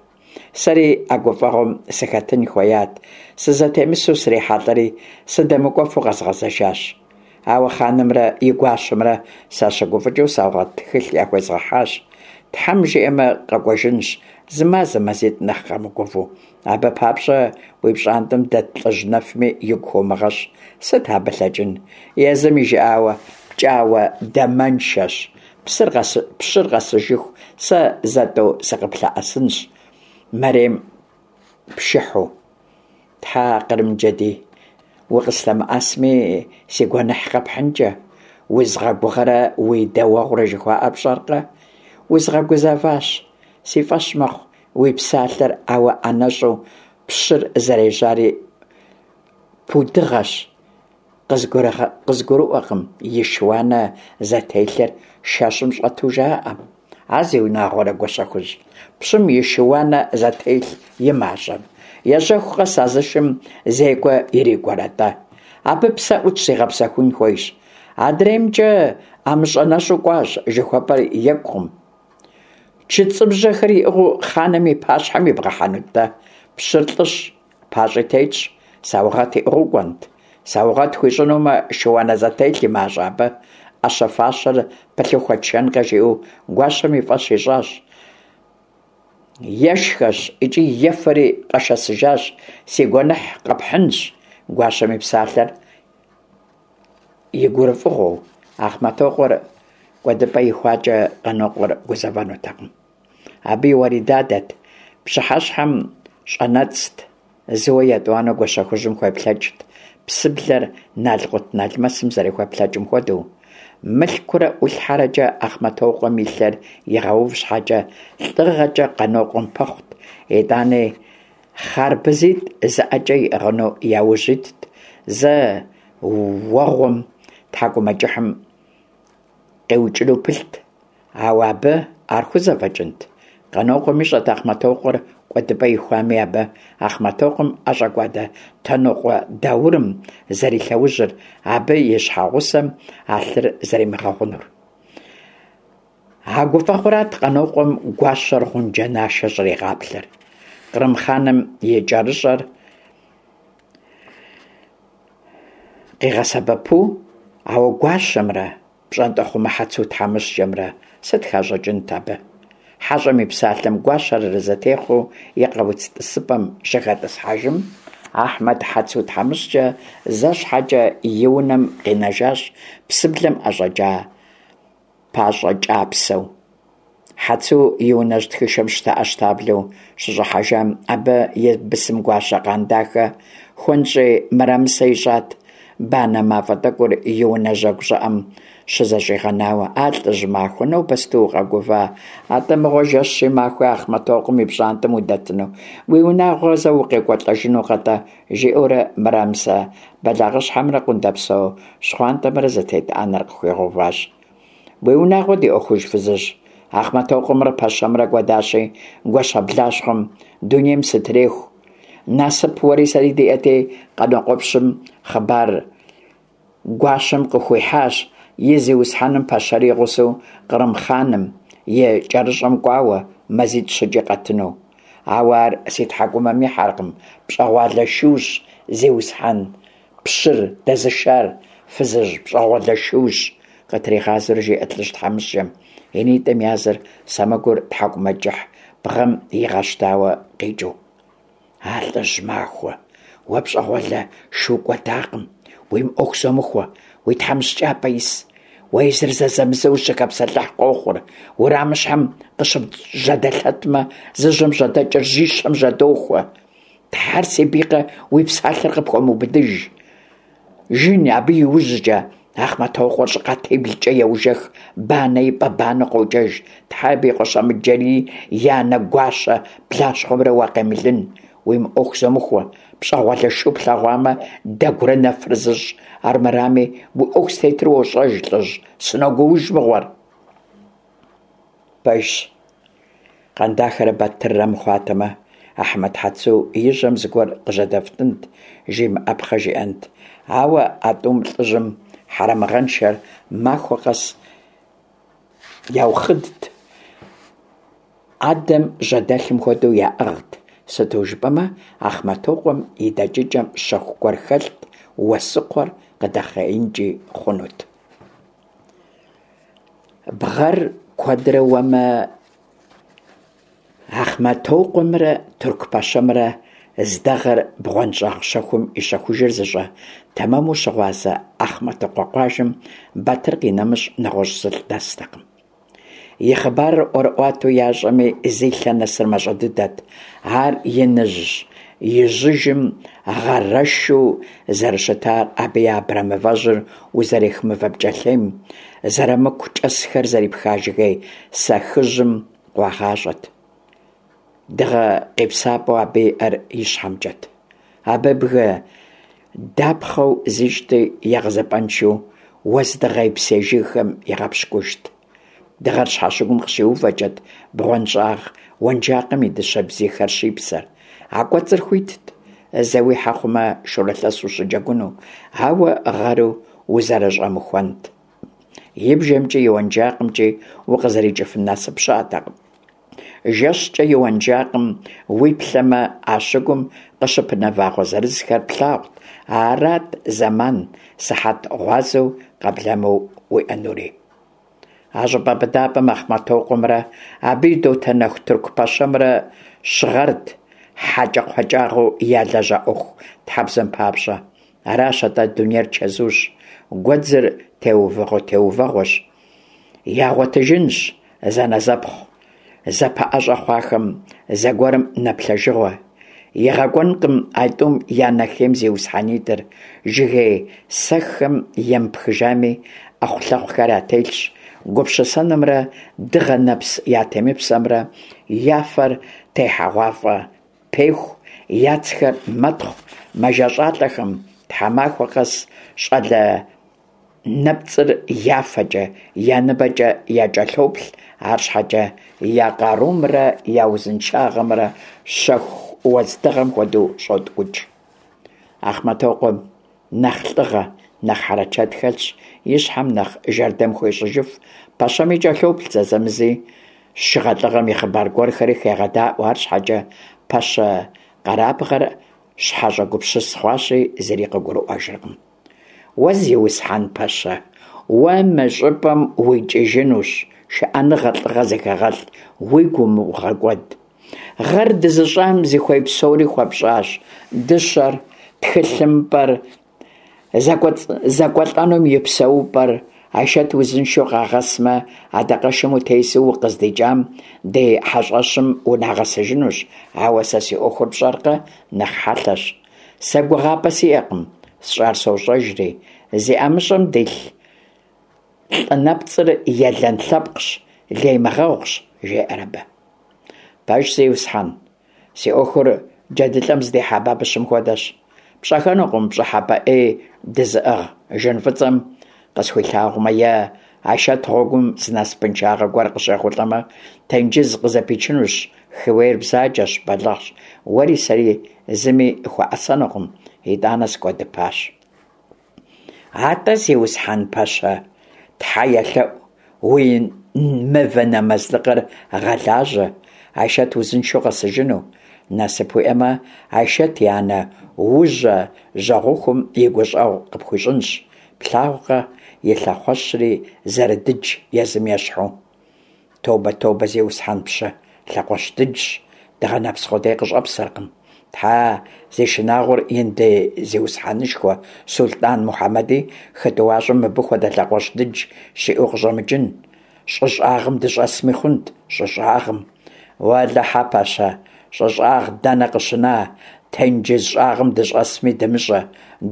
Сэри а гуфӀэгъуэм сыхэтын хуеят, сызэтемысу срихьэлӀэри, сыдэмыкӀуэфу къэзгъэзэжащ. Ауэ хъанымрэ и гуащэмрэ сащыгуфӀыкӀыу саугъэт тхылъ яхуезгъэхьащ. Тхьэм жиӀэмэ, къэкӀуэжынщ, зы мазэ, мазитӀ нэхъ къэмыгувэу. Абы папщӀэ уи пщӀантӀэм дэт лӀыжь нэфми игу хыумыгъэщӀ. Сыт абы лъэкӀын? Езым и жыӀауэ, пкӀауэ дамэншэщ. Пщыр къэсыжыху сэ зэ-тӀэу сыкъыплъэӀэсынщ, мэрем пшыхьу. Тхьэ, Кърымджэдий, укъыслъэмыӀэсми, си гуэныхь къэпхьынкӀэ. Узыгъэгугъэрэ уи дэуэгъурэ жыхуаӀэр пщӀэркъэ? Узгъэгузэващ, си фӀэщ мэхъу уи псалъэр, ауэ ӀэнэщӀу пщыр зэрежьари пудыгъэщ. КъызгурыӀуэкъым, и шы-уанэ зэтелъыр шэщым щӀэту жаӀэ. А зиунагъуэрэ, Гуащэхужь, пщым и шы-уанэ зэтелъ и мащӀэ? Ежьэху къэс а зы шым зекӀуэ ирикӀуэрэ-тӀэ? Абы псэ Ӏутщ, зигъэпсэхун хуейщ. АдреймкӀэ ӀэмыщӀэ нэщӀу кӀуащ жыхуэпӀэр екӀукъым. ЧыцӀыбжьэхэр иӀыгъыу хъаным и пащхьэм ибгъэхьэнут-тӀэ? Пщыр лӀыщ, пащӀи тетщ, саугъэт иӀыгъыу кӀуэнт? Саугъэт хуищӀынумэ, шы-уанэ зэтелъ и мащӀэ абы? Ӏэщэ-фащэр пылъу хуэтшэнкъэ, жиӀэу гуащэм и фӀэщ ищӀащ. Ешхэщ икӀи ефэри къэшэсыжащ, си гуэныхь къэпхьынщ, гуащэм и псалъэр и гурыфӀыгъуэу. Ахъмэтокъуэр кӀуэдыпӀэ ихуакӀэ Къанокъуэр гузэвэнутэкъым. Абы и уэридадэт, пщыхьэщхьэм щӀэнэцӀт, зыуэ етӀуанэу Гуащэхужьым хуеплъэкӀт, псыблэр налкъутналмэсым зэрыхуеплъэкӀым хуэдэу. Мылъкурэ ӀулъхьэрэкӀэ Ахъмэтокъуэм и лъэр игъэув щхьэкӀэ, лӀыгъэкӀэ Къанокъуэм пэхъут, итӀани хъарбызитӀ зы ӀэкӀэ иӀыгъыну яужь итт, зэ уэгъуэм тхьэкӀумэкӀыхьым къиукӀыну пылът, ауэ абы ар хузэфӀэкӀынт? Къанокъуэм ищӀэрт Ахъмэтокъуэр кӀуэдыпӀэ ихуами, абы Ахъмэтокъуэм ӀэщӀэкӀуэда Тэнокъуэ Даурым зэрилъэужьыр, абы и щхьэгъусэм а лъыр зэримыгъэгъунур. А гуфӀэгъуэрат Къанокъуэм гуащэр гъунджэ нашэ щӀригъаплъэр. Кърым хъаным и кӀэрыщӀэр къигъэсэбэпу, ауэ гуащэмрэ пщӀантӀэхъумэ Хьэцу тхьэмыщкӀэмрэ сыт хащӀыкӀынт абы? ХьэщӀэм и псалъэм гуащэр арэзы техъуэу и къауц тӀысыпӀэм щыхэтӀысхьэжым, Ахьмэд Хьэцу тхьэмыщкӀэ зэ щхьэкӀэ и унэм къинэжащ псыблэм ӀэщӀэкӀа пащӀэкӀапсэу. Хьэцу и унэжь тхышэм щтэӀэщтаблэу щыщӀыхьэжам, абы и бысым гуащэ Къандахэ хуэнщӀей мырамысэ ищӀат, банэ мафӀэ тӀэкӀур и унэ жьэгу щӀыӀэм щызэщӀигъэнауэ. «А лӀыжь махуэ, нобэ сыту укъэгува? АтӀэ мыгъуэ, жэщи махуи Ахъмэтокъуэм и пщӀантӀэм удэтыну, уи унагъуэ зэ укъекӀуэлӀэжынукъэ-тӀэ?» жиӀэурэ мырамысэ бэлагъыщхьэмрэ къундэпсо щхъуантӀэмрэ зытет Ӏэнэр къыхуигъэуващ. «Уи унагъуэ ди Ӏуэхуж, фызыжь, Ахъмэтокъуэмрэ пэщэмрэ кӀуэдащи, гуащэблащхъуэм дунейм сытреху. Насып уэри сэри диӀэти, Къанокъуэпщым хъыбар гуащэм къыхуихьащ и зиусхьэным пэщэри и гъусэу кърым хъаным и кӀэрыщӀэм кӀуауэ, мазитӀ-щыкӀи къэтыну. Ауэ ар си тхьэкӀумэм ихьэркъым, пщӀэгъуалэ шущ, зиусхьэн, пщыр дэзышар, фызыжь, пщӀэгъуалэ шущ, къытригъазэурэ жиӀэрт лӀыжь тхьэмыщкӀэм, и нитӀым языр сэмэгур тхьэкӀумэкӀыхь бгъэм игъэщтауэ къикӀыу. А лӀыжь махуэ, уэ пщӀэгъуалэ шу кӀуэдакъым, уи мыӀуэху зомыхуэ, уи тхьэмыщкӀапӀэ ис. Уэ езыр зэзэмызэ ущыхэпсэлъыхь къохъур, уэрамыщхьэм къыщыбжьэдэлъэтмэ, зы жьэм жьэдэкӀыр жьищэм жьэдохуэ. Тхьэр си бийкъэ, уи псалъэр къыпхуэмыубыдыж. Жын абы и ужькӀэ Ахъмэтокъуэр щӀыкъатиблкӀэ еужэх, банэ и пӀэ банэ къокӀэж. Тхьэ, абы и къуэ Щэмыджэрий и анэ гуащэ блащхъуэмрэ уакъемылын. Уи мыӀуэху зомыхуэ, пщӀэгъуалэ шу плъэгъуамэ, дэгурэ нэфрэ зыщӀ, армырами уи Ӏуэху зытетыр уощӀэж, лӀыжь, сыногууж мыгъуэр. Пэжщ, Къандахэрэ Батыррэ мыхъуатэмэ, Ахьмэд Хьэцу и жьэм зыгуэр къыжьэдэфтӀынт, жимыӀэпхъэ жиӀэнт. Ауэ а тӀум лӀыжьым хьэрэмыгъэншэр махуэ къэс яухъыдт, Ӏэдэм жьэдэлъым хуэдэу яӀыгът, сыту жыпӀэмэ Ахъмэтокъуэм и дэкӀыкӀэм щэху гуэр хэлът, уэсукхъуэр къыдэхъеинкӀи хъунут. Бгъэр куэдрэ уэмэ, Ахъмэтокъуэмрэ тырку пэщэмрэ здэгъэр бгъуэнщӀагъ щэхум и щэхужыр зыщӀэ, тэмэму щыгъуазэ Ахъмэтыкъуэ къуажэм Батыр къинэмыщӀ нэгъуэщӀ зылӀ дэстэкъым. И хъыбарыр ӀуэрыӀуатэу ящӀэми, зи лъэ нэсыр мащӀэ дыдэт. Ар иныжь ижьыжым гъэрэшу зэрыщытар абы и абрэмывэжьыр узэрех мывэ пкӀэлъейм, зэрамыку кӀэсхэр зэрипха жыгей сэхыжьым къуагъащӀэт. Дыгъэ къепсапӀэу абы иӀэр ищхьэмкӀэт. Абы бгы дапхъэу зищӀти, егъэзыпӀэншэу уэздыгъей псей жыгхэм игъэпщкӀужт. Дыгъэр щхьэщыгум къыщиувэкӀэт бгъуэнщӀагъ уэнжакъым и дыщэ бзийхэр щипсэр. А кӀуэцӀыр хуитт, зэ уихьэ хъумэ, шурылъэс ущыджэгуну, ауэ гъэру узэрыщӀэмыхуэнт. И бжэмкӀи и уэнжакъымкӀи укъызэрикӀыфын насып щыӀэтэкъым. ЖэщкӀэ и уэнжакъым уиплъэмэ, а щыгум къыщыпынэ вагъуэ зырызхэр плъагъут, арат зэман, сыхьэт гъуазэу къэблэмэу уиӀэнури. А щӀыпӀэ быдапӀэм Ахъмэтокъуэмрэ абы и дотэнэху тырку пэщэмрэ щыгъэрт, хьэкӀэкхъуэкӀагъэу ялэжьа Ӏуэхутхьэбзэм папщӀэ. Аращ атӀэ, дунейр чэзущ, гуэдзыр теувэгъуэ-теувэгъуэщ. Ягъуэтыжынщ зэнэзэпхъу зэпэӀэщӀэ хъуахэм зэгуэрым нэплъэжыгъуэ. ИгъэкӀуэнкъым а тӀум я нэхейм зиусхьэнитӀыр, жыгей сэххэм емыпхыжами, Ӏэхъулъэхъухэр ятелъщ, гупсысэнымрэ дыгъэ нэпс ятемыпсэмрэ я фэр техьэгъуафӀэ пеху, яцхэр мэтхъу, мэжэщӀалӀэхэм тхьэмахуэ къэс щӀалэ нэпцӀыр я фэкӀэ, я ныбэкӀэ якӀэлъоплъ, арщхьэкӀэ я къарумрэ я узыншагъэмрэ шэху уэздыгъэм хуэдэу щӀоткӀукӀ. Ахъмэтокъуэм нэхъ лӀыгъэ, нэхъ хьэрычэт хэлъщ, и щхьэм нэхъ жэрдэм хуещӀыжыф, пэщэми кӀэлъоплъ зэзэмызи, шыгъэлӀыгъэм и хъыбар гуэрхэри хегъэдаӀуэ, арщхьэкӀэ пэщэ къэрабгъэр щхьэщӀэгупсыс хъуащи, зыри къыгурыӀуэжыркъым. Уэ, зиусхьэн пэщэ, уэ мы щӀыпӀэм уикӀыжынущ, шыӀэныгъэ, лӀыгъэ зыхэгъэлъ, уигу умыгъэкӀуэд. Гъэр дызыщӀам зыхуей псори хуэпщӀащ: дыщэр, тхылъымпӀэр, зэкӀуэлӀэнум и псэупӀэр. Айшэт узыншэу къагъэсмэ, адакъэшым утесу укъыздикӀам, ди хьэщӀэщым, унагъэсыжынущ. Ауэ сэ си Ӏуэхур пщӀэркъэ, нэхъ хьэлъэщ. Сэ гугъапӀэ сиӀэкъым, сщӀар сощӀэжри. Зи ӀэмыщӀэм дилъ лӀы нэпцӀыр елэн лъэпкъщ, леймыгъэгъущ, жеӀэр абы. Пэжщ, зиусхьэн, си Ӏуэхур джэдылӀэм зыдихьа бабыщым хуэдэщ. ПщӀэхэнукъым, пщӀыхьэпӀэ Ӏей дэзыӀыгъ жын фӀыцӀэм къысхуилъагъумэ, е Айшэт гъуэгум зы насыпыншагъэ гуэр къыщехъулӀэмэ, тенджыз къызэпичынущ, хыуейр бзаджэщ, бэлыхьщ, уэри сэри зыми хуэӀэсэнукъым, итӀанэ сыкӀуэдыпащ. АтӀэ, зиусхьэн пэщэ, тхьэ елъэӀу, уи мывэ нэмэзлыкъыр гъэлажьэ, Айшэт узыншэу къэсыжыну. Насып уиӀэмэ, Айшэт и анэ Ужьэ жьэгъухум и гущӀэгъу къыпхуищӀынщ. Плъагъуркъэ и лъэхъуэщри зэрыдыдж езым ещхьу. Тобэ, тобэ, зиусхьэн пщы, лъэхъуэщ дыджщ, дыгъэ нэпс къудей къыщӀэпсэркъым. Тхьэ, зи шынагъуэр ин ди зиусхьэнышхуэ сулътӀан Мухьэмэди хы тӀуащӀэм мыбы хуэдэ лъэхъуэщ дыдж щиӀэу къыщӀэмыкӀын. ЩӀы щӀагъым дыщӀэсми хъунт, щӀы щӀагъым. Уэлэхьэ, пэщэ, щӀы щӀагъ дэнэ къыщына, тенджыз щӀагъым дыщӀэсми дымыщӀэ.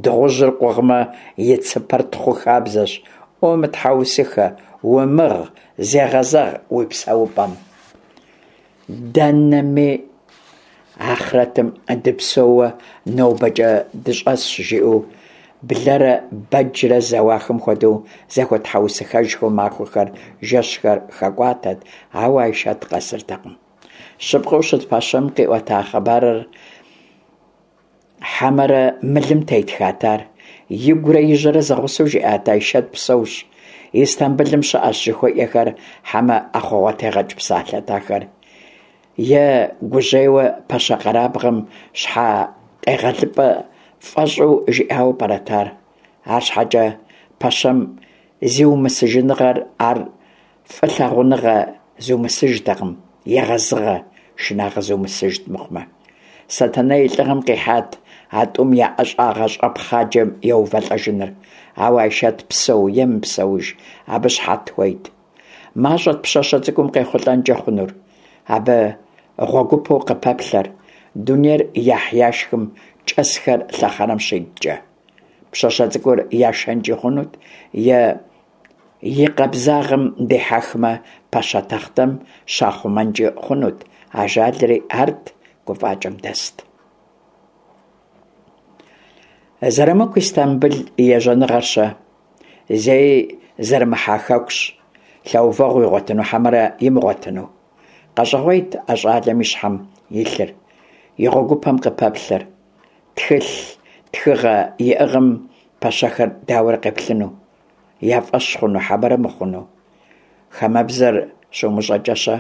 Дыгъужьыр къугъмэ, и цыпэр тхъу хабзэщ. Умытхьэусыхэ, умыгъ, зегъэзэгъ уи псэупӀэм. Дэнэми ахърэтым дыпсэууэ нобэкӀэ дыщӀэсщ, жиӀэу блэрэ бэджрэ зэуахэм хуэдэу зэхуэтхьэусыхэжхэу махуэхэр, жэщхэр хэкӀуатэрт, ауэ Айшэт къэсыртэкъым. Щыпкъэу щыт пэщэм къиӀуэта хъыбарыр хьэмэрэ мылым тетхат ар? Игурэ и жьэрэ зэгъусэу жиӀат Айшэт псэущ, Истамбылым щыӀэщ жыхуиӀэхэр, хьэмэ ӀэхъуэгъуэтегъэкӀ псалъэт ахэр? Е гужьейуэ пэщэ къэрабгъэм щхьэкъегъэлыпӀэ фӀэщӀу жиӀауэ пӀэрэт ар? АрщхьэкӀэ пэщэм зиумысыжыныгъэр ар фӀылъагъуныгъэ зыумысыжтэкъым, егъэзыгъэ, шынагъэ зыумысыжт мыхъумэ. Сэтэней и лӀыгъэм къихьат а тӀум я ӀэщӀагъэ щӀэпхъаджэм еувэлӀэжыныр. Ауэ Айшэт псэу е мыпсэуж, абы щыхьэт хуейт. МащӀэт пщащэ цӀыкӀум къехъулӀэнкӀэ хъунур, абы гъуэгупэу къыпэплъэр, дунейр яхь-яшхым кӀэсхэр лъэхъэнэм щиткӀэ. Пщащэ цӀыкӀур яшэнкӀи хъунут, е и къабзагъэм дихьэхмэ, пэщэ тахътэм щахъумэнкӀи хъунут, ажалри арт, гуфӀакӀэм дэст. Зэрымыку Истамбыл и ежьэныгъэр-щэ? Зэи зэрымыхьа хэкущ, лъэувэгъу игъуэтыну хьэмэрэ имыгъуэтыну? КъэщӀэгъуейт а щӀалэм и щхьэм илъыр, и гъуэгупэм къыпэплъэр. Тхылъ, тхыгъэ иӀыгъым пэщэхэр дауэрэ къеплъыну? Я фӀэщ хъуну хьэмэрэ мыхъуну? Хамэбзэр щумыщӀэкӀэ-щэ?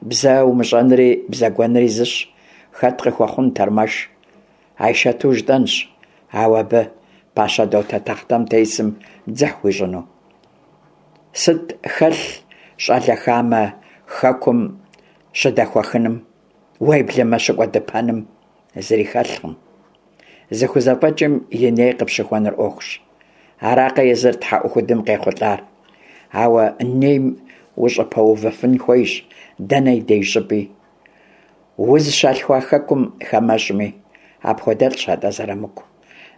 Бзэ умыщӀэнри бзэгуэнри зыщ. Хэт къыхуэхъун тэрмэш? Айшэту жытӀэнщ, ауэ абы пащэ дотэ тахътэм тесым дзыхь хуищӀыну? Сыт хэлъ щӀалэ хамэ хэкум щыдэхуэхыным, уеблэмэ щыкӀуэдыпэным? Зыри хэлъкъым. ЗыхузэфӀэкӀым и ней къыпщыхуэныр Ӏуэхущ. Аракъэ езыр тхьэӀухудым къехъулӀар? Ауэ нейм ущӀыпэувыфын хуейщ дэнэ и деж щӀыпӀи. Узыщалъхуа хэкум, хамэщӀми. АпхуэдэлӀщ атӀэ Зэрамыку.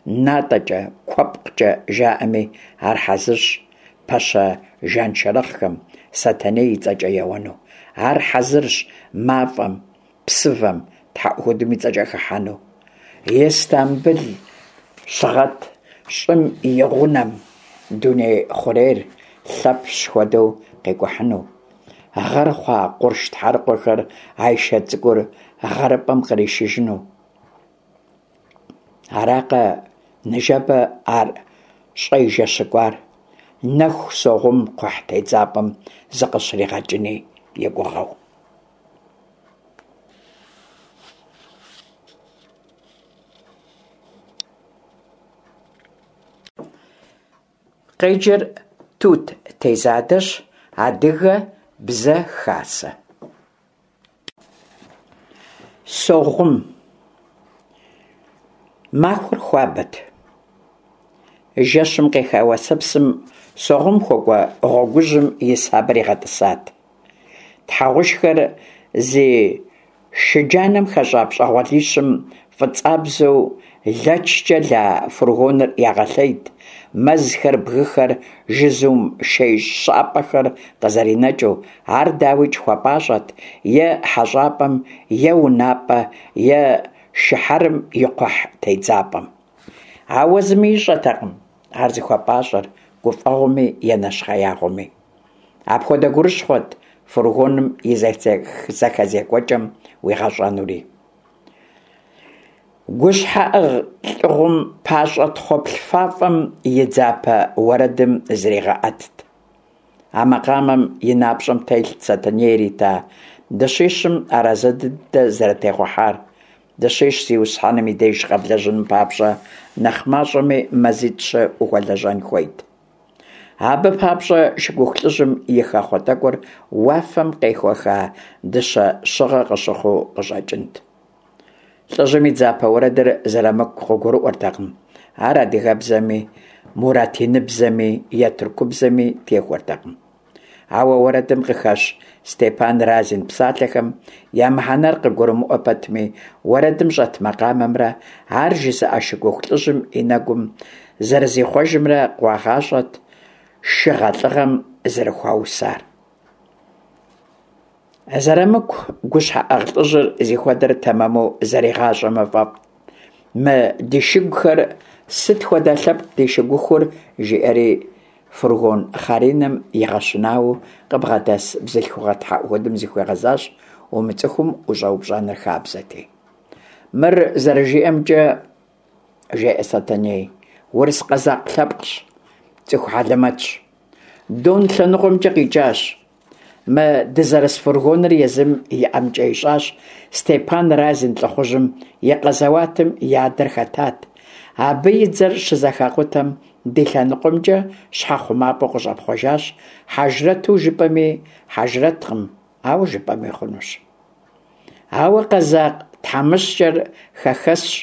НатӀэкӀэ, куэпкъкӀэ жаӀэми, ар хьэзырщ пэщэ жаншэрыхъхэм Сэтэней и цӀэкӀэ еуэну. Ар хьэзырщ мафӀэм, псывэм тхьэӀухудым и цӀэкӀэ хыхьэну. Истамбыл щыгъэт, щӀым и гъунэм дуней хъурейр Лъэпщ хуэдэу къикӀухьыну. Гъэр хъуа къурш тхьэрыкъуэхэр Айшэт цӀыкӀур гъэрыпӀэм къришыжыну. Аракъэ ныжэбэ ар щӏежэщыкӏуар, нэху Согъум кхъухь тедзапӏэм зыкъыщригъэкӏыни и гугъэу. Къеджэр Тут Тезадэщ, Адыгэ Бзэ Хасэ. Согъум. Махуэр хуабэт. Жэщым къеха уэсэпсым Согъум хуэкӏуэ гъуэгужьым и сабэр игъэтӏысат. Тхьэгъушхэр зи шы джанэм хэщӏа пщӏэгъуалищым фӏыцӏабзэу лэчкӏэ ла фургоныр ягъэлъейт, мэзхэр, бгыхэр, жызум шей щӏапӏэхэр къызэринэкӏыу. Ар, дауикӏ, хуэпӏащӏэт е хьэщӏапӏэм, е унапӏэ, е шыхьэрым и кхъухь тедзапӏэм. Ауэ зыми ищӏэтэкъым ар зыхуэпӏащӏэр гуфӏэгъуэми е нэщхъеягъуэми. Апхуэдэ гурыщхъуэт фургоным и зэхэзекӏуэкӏэм уигъэщӏэнури. Гущхьэӏыгъ Лӏыгъум пащӏэ тхъуэплъ фафӏэм и дзапэ уэрэдым зригъэӏэтт. А макъамэм и напщӏэм телът Сэтэней ирита дыщищым арэзы дыдэ зэрытехъухьар. Дыщищ зиусхьэным и деж къэблэжьыным папщӏэ нэхъ мащӏэми мазитӏ-щы ухуэлэжьэн хуейт. Абы папщӏэ шыгуху лӏыжьым и хэхъуэ тӏэкӏур уафэм къехуэха дыщэ щыгъэ къыщыхъуу къыщӏэкӏынт. Лӏыжьым и дзапэ уэрэдыр Зырамыку къыгурыӏуэртэкъым. Ар адыгэбзэми, муратиныбзэми е тыркубзэми техуэртэкъым. Ауэ уэрэдым къыхэщ Степан Разин псалъэхэм я мыхьэнэр къыгурымыӏуэ пэтми, уэрэдым щӏэт макъамэмрэ ар жызыӏэ шыгуху лӏыжьым и нэгум зэрызихъуэжымрэ къуагъащӏэт шыгъэ-лӏыгъэм зэрыхуаусар. Зырамыку гущхьэӏыгъ лӏыжьыр зихуэдэр тэмэму зэригъащӏэмэ фӏэфӏт. Мы ди шыгухэр сыт хуэдэ лъэпкъ ди шыгухур? Жиӏэри фургон хъаринэм игъэщынауэ къыбгъэдэс бзылъхугъэ тхьэӏухудым зыхуигъэзащ, умыцӏыхум ущӏэупщӏэныр хабзэти. Мыр зэрыжиӏэмкӏэ, жеӏэ Сэтэней, урыс къэзакъ лъэпкъщ, цӏыху хьэлэмэтщ. Дон лъэныкъуэмкӏэ къикӏащ. Мы дызэрыс фургоныр езым и ӏэмкӏэ ищӏащ, Степан Разин лӏыхъужьым и къэзэуатым и адэр хэтат. Абы и дзэр щызэхакъутэм ди лъэныкъуэмкӏэ щхьэхъумапӏэу къыщӏэпхъуэжащ, хьэжрэту жыпӏэми хьэжрэткъым, ауэ жыпӏэми хъунущ. Ауэ къэзакъ тхьэмыщкӏэр хэхэсщ,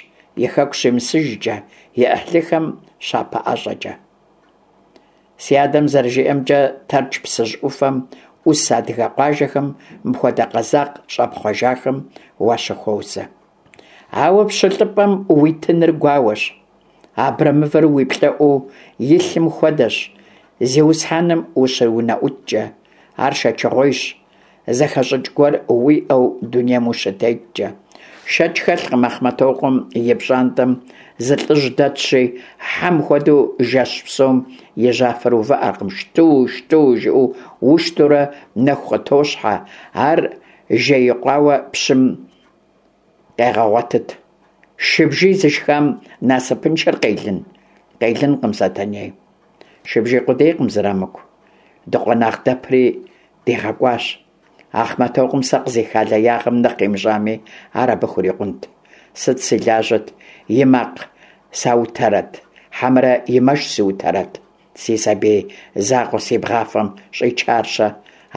и хэку щимысыжкӏэ, и ӏыхьлыхэм щапэӏэщӏэкӏэ. Си адэм зэрыжиӏэмкӏэ, Тэрч псыжь ӏуфэм ӏус адыгэ къуажэхэм мыпхуэдэ къэзакъ щӏэпхъуэжахэм уащыхуозэ. Ауэ пщылӏыпӏэм уитыныр гуауэщ. Абрэмывэр уи плӏэӏуу илъым хуэдэщ, зиусхьэным ущыунэӏуткӏэ. Ар шэчыгъуейщ, зэхэщӏыкӏ гуэр уиӏэу дунейм ущытеткӏэ. Шэч хэлъкъым, Ахъмэтокъуэм и пщӏантӏэм зы лӏыжь дэтщи, хьэм хуэдэу жэщ псом и жьафэр увыӏэркъым, шту, шту жиӏэу уштурэ нэху къытощхьэ, ар жеикъуауэ пщым къегъэгъуэтыт. Шыбжий зышхам насыпыншэр къелын? Къелынкъым, Сэтэней. Шыбжий къудейкъым, Зырамыку. Дыкъуэнагъ дэпри дигъэкӏуащ. Ахъмэтокъуэм сэ къызиха леягъэм нэхъ имыщӏами, ар абы хурикъунт. Сыт си лажьэт, и макъ саутэрэт, хьэмэрэ и мэш сыутэрэт? Си сабий закъуэ си бгъафэм щӏичар-щэ?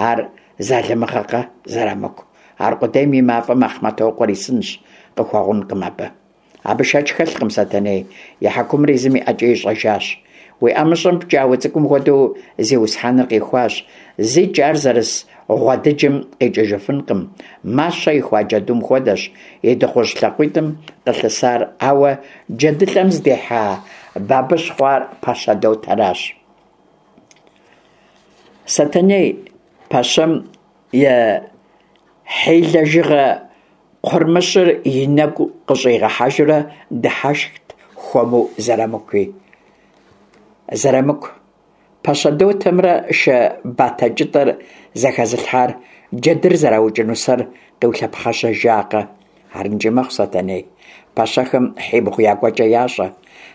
Ар залымыгъэкъэ, Зырамыку? Аркъудейм и мафӏэм Ахъмэтокъуэр исынщ, къыхуэгъункъым абы. Абы шэч хэлъкъым, Сэтэней, и хьэкумыр езым и ӏэкӏэ ищӏэжащ. Уи ӏэмыщӏэм пкӏауэ цӏыкӏум хуэдэу зиусхьэныр къихуащ. Зикӏ ар зэрыс гъуэдыджым къикӏыжыфынкъым. Мащэ ихуа джэдум хуэдэщ и дыгъужь лъакъуитӏым къылъысар, ауэ джэдылӏэм здихьа бабыщ хъуар пэщэ дотэращ. Сэтэней пэщэм и хьилэжыгъэ кхъурмыщыр и нэгу къыщӏигъэхьэжурэ дыхьэшхт хуэму Зырамыкуи. Зырамыку, пэщэ дотэмрэ шэ батэ кӏытӏэр зэхэзылъхьар джэдыр зэраукӏыну сэр къиулъэпхъэщыжакъэ? Арынкӏи мэхъу, Сэтэней. Пэщэхэм хьибгъу я кӏуэкӏэ ящӏэ.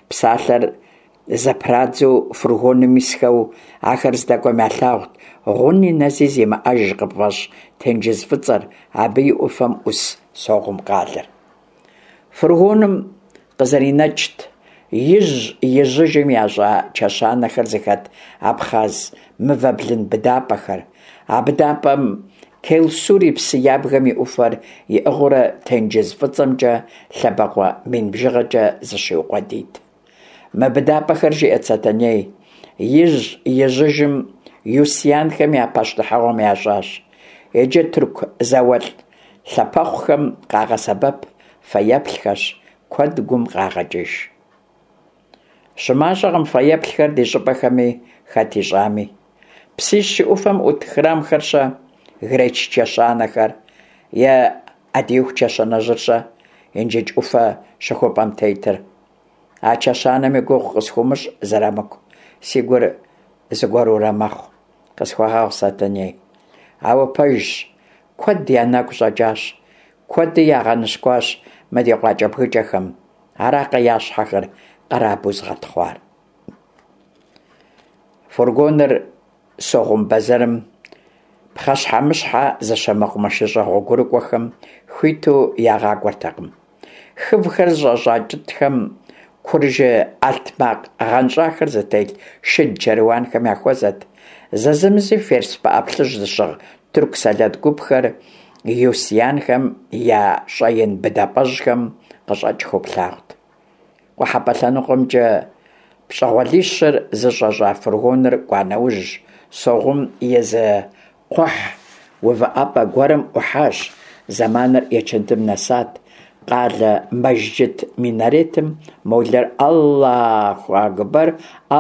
Псалъэр зэпрадзу фургоным исхэу ахэр здэкӀуэм ялъагъут гъуни нэзи зимыӀэж къыпфӀэщӀ тенджыз фӀыцӀэр, абы и Ӏуфэм Ӏус Согъум къалэр. Фургоным къызэринэкӀт ижь-ижьыжым ящӀа чэщанэхэр зыхэт абхъаз мывэ блын быдапӀэхэр. А быдапӀэм Келсури псы ябгэм и Ӏуфэр иӀыгъыурэ тенджыз фӀыцӀэмкӀэ лъэбакъуэ мин бжыгъэкӀэ зыщиукъуэдийт. Мы быдапӀэхэр, жиӀэт Сэтэней, ижь-ижьыжым Юсианхэм я пащтыхьыгъуэм ящӀащ. Иджы тырку зауэлӀ лъапэхъухэм къагъэсэбэп фэеплъхэщ, куэд гум къагъэкӀыж. ЩымащӀэкъым фэеплъхэр ди щӀыпӀэхэми, хэт ищӀами. Псищ и Ӏуфэм Ӏут храмхэр-щэ, греч чэщанэхэр е Ӏэдииху чэщанэжьыр-щэ, Инжыдж Ӏуфэ щыхупӀэм тетыр? А чэщанэм и гугъу къысхуумыщӀ, Зырамыку, си гур зыгуэрурэ мэхъу. Къысхуэгъэгъу, Сэтэней. Ауэ пэжщ, куэд я нэгу щӀэкӀащ, куэди ягъэныщкӀуащ мы ди къуакӀэбгыкӀэхэм. Аракъэ я щхьэхэр къэрабэу зыгъэтхъуар? Фургоныр Согъум бэзэрым пхъэщхьэмыщхьэ зыщэ мэкъумэшыщӀэ гъуэгурыкӀуэхэм хуиту ягъакӀуэртэкъым. Хывхэр зыщӀэщӀа кӀытӀхэм, куржы Ӏэлътмакъ гъэнщӀахэр зытелъ шыд чэруанхэм яхуэзэт. Зэзэмызи ферс пыӀэ плъыжь зыщыгъ тырку сэлэт гупхэр Юсианхэм я щӀэин быдапӀэжьхэм къыщӀэкӀхэу плъагъут. КъухьэпӀэ лъэныкъуэмкӀэ пщӀэгъуалищыр зыщӀэщӀа фургоныр кӀуа нэужь, Согъум и зы кхъухь увыӀэпӀэ гуэрым Ӏухьащ. Зэманыр ечэндым нэсат. Къалэ мэжджыт минаретым молэр «Аллаху акбэр,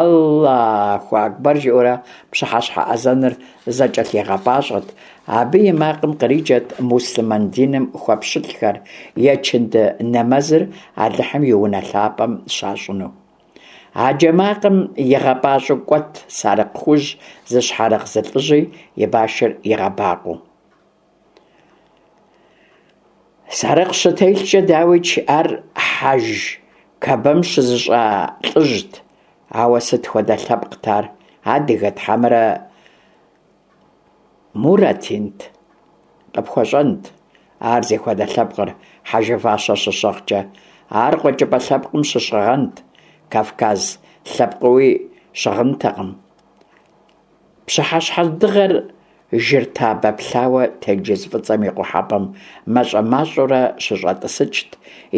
Аллаху акбэр» жиӀэурэ пщыхьэщхьэ азэныр зэкӀэлъигъэпӀащӀэт. Абы и макъым къриджэт муслъымэн диным хуэпщылӀхэр ечэнды нэмэзыр Алыхьым и унэ лъапӀэм щащӀыну. А джэ макъым игъэпӀащӀэу кӀуэт сарыкъ хужь зыщхьэрыгъ зы лӀыжьи, и башыр игъэбакъуэу. Сарыкъ щытелъкӀэ, дауикӀ, ар хьэж Кэбэм щызыщӀа лӀыжьт. Ауэ сыт хуэдэ лъэпкът ар? Адыгэт хьэмэрэ муратинт? КъыпхуэщӀэнт ар зихуэдэ лъэпкъыр хьэжы фащэ щыщыгъкӀэ. Ар къуэкӀыпӀэ лъэпкъым щыщыгъэнт, кавказ лъэпкъыуи щыгъынтэкъым. Пщыхьэщхьэ дыгъэр жыр табэ плъауэ тенджыз фӀыцӀэм и къухьэпӀэм мащӀэ-мащӀэурэ щыщӀэтӀысыкӀт,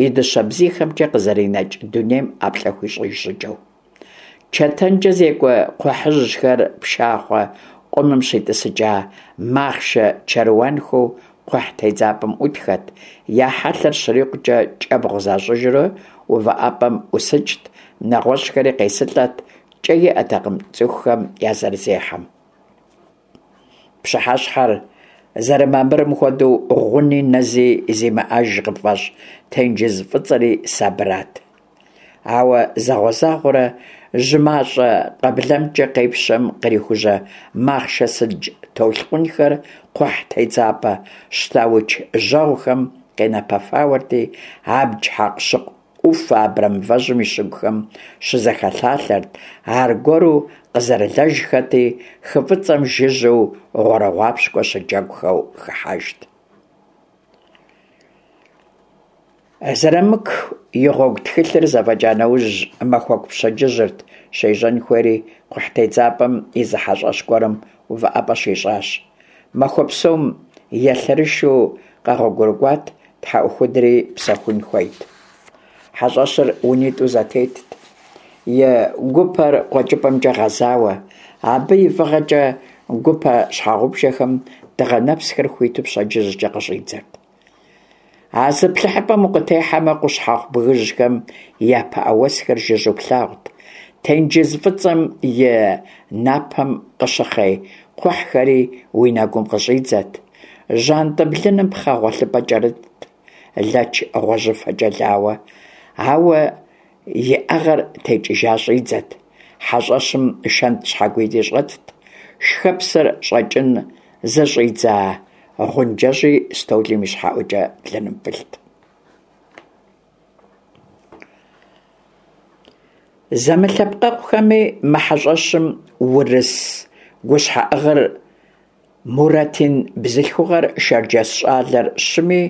и дыщэ бзийхэмкӀэ къызэринэкӀ дунейм ӀэплӀэ хуищӀыж щӀыкӀэу. ЧэтэнкӀэ зекӀуэ кхъухьыжьхэр пшахъуэ къумым щитӀысыкӀа махъшэ чэруанхэу кхъухь тедзапӀэм Ӏутхэт, я хьэлъэр щрикъукӀэ кӀэбгъу защӀыжурэ увыӀэпӀэм ӀусыкӀт, нэгъуэщӀхэри къесылӀэт, кӀэ иӀэтэкъым цӀыхухэм я зэрызехьэм. Пщыхьэщхьэр зэрымамырым хуэдэу, гъуни нэзи зимыӀэж къыпфӀэщӀ тенджыз фӀыцӀэри сабырат. Ауэ зэгъуэзэгъуэрэ жьы мащӀэ къыблэмкӀэ къепщэм кърихужьэ махъшэ сыдж толъкъунхэр кхъухь тедзапӀэ щтауч жьэгъухэм къенэпэфауэрти, абдж хьэкъущыкъу Ӏуфэ абрэмывэжьым и щыгухэм щызэхэлъалъэрт, аргуэру къызэрылэжхэти, хы фӀыцӀэм жыжьэу гъуэрыгъуапщкӀуэ щыджэгухэу хыхьэжт. Зырамыку и гъуэгу тхылъыр зэфӀэкӀа нэужь, махуэку пщэдджыжьырт щежьэн хуейри, кхъухь тедзапӀэм и зы хьэщӀэщ гуэрым увыӀэпӀэ щищӀащ. Махуэ псом елъэрышэу къэгъуэгурыкӀуат, тхьэӀухудри псэхун хуейт. ХьэщӀэщыр унитӀу зэтетт, и гупэр къуэкӀыпӀэмкӀэ гъэзауэ. Абы и фӀыгъэкӀэ гупэ щхьэгъубжэхэм дыгъэ нэпсхэр хуиту пщэдджыжькӀэ къыщӀидзэрт. А зыплъыхьыпӀэм укъытехьэмэ, Къущхьэхъу бгыжьхэм я пыӀэ уэсхэр жыжьэу плъагъут, тенджыз фӀыцӀэм и напэм къыщыхъей кхъухьхэри уи нэгум къыщӀидзэт. ЖьантӀэ блыным пхъэ гъуэлъыпӀэ кӀэрытт, лэч гъуэжьыфэкӀэ лауэ, ауэ иӀэгъэр текӀыжа щӀидзэт. ХьэщӀэщым шэнт щхьэгуитӀи щӀэтт, шхэпсыр щӀэкӀын зыщӀидза гъунджэжьи стӀолым ищхьэӀуэкӀэ блыным пылът. Зэмылъэпкъэгъухэми, мы хьэщӏэщым урыс гущхьэӀыгъыр, муратин бзылъхугъэр, шэрджэс щӏалэр – щыми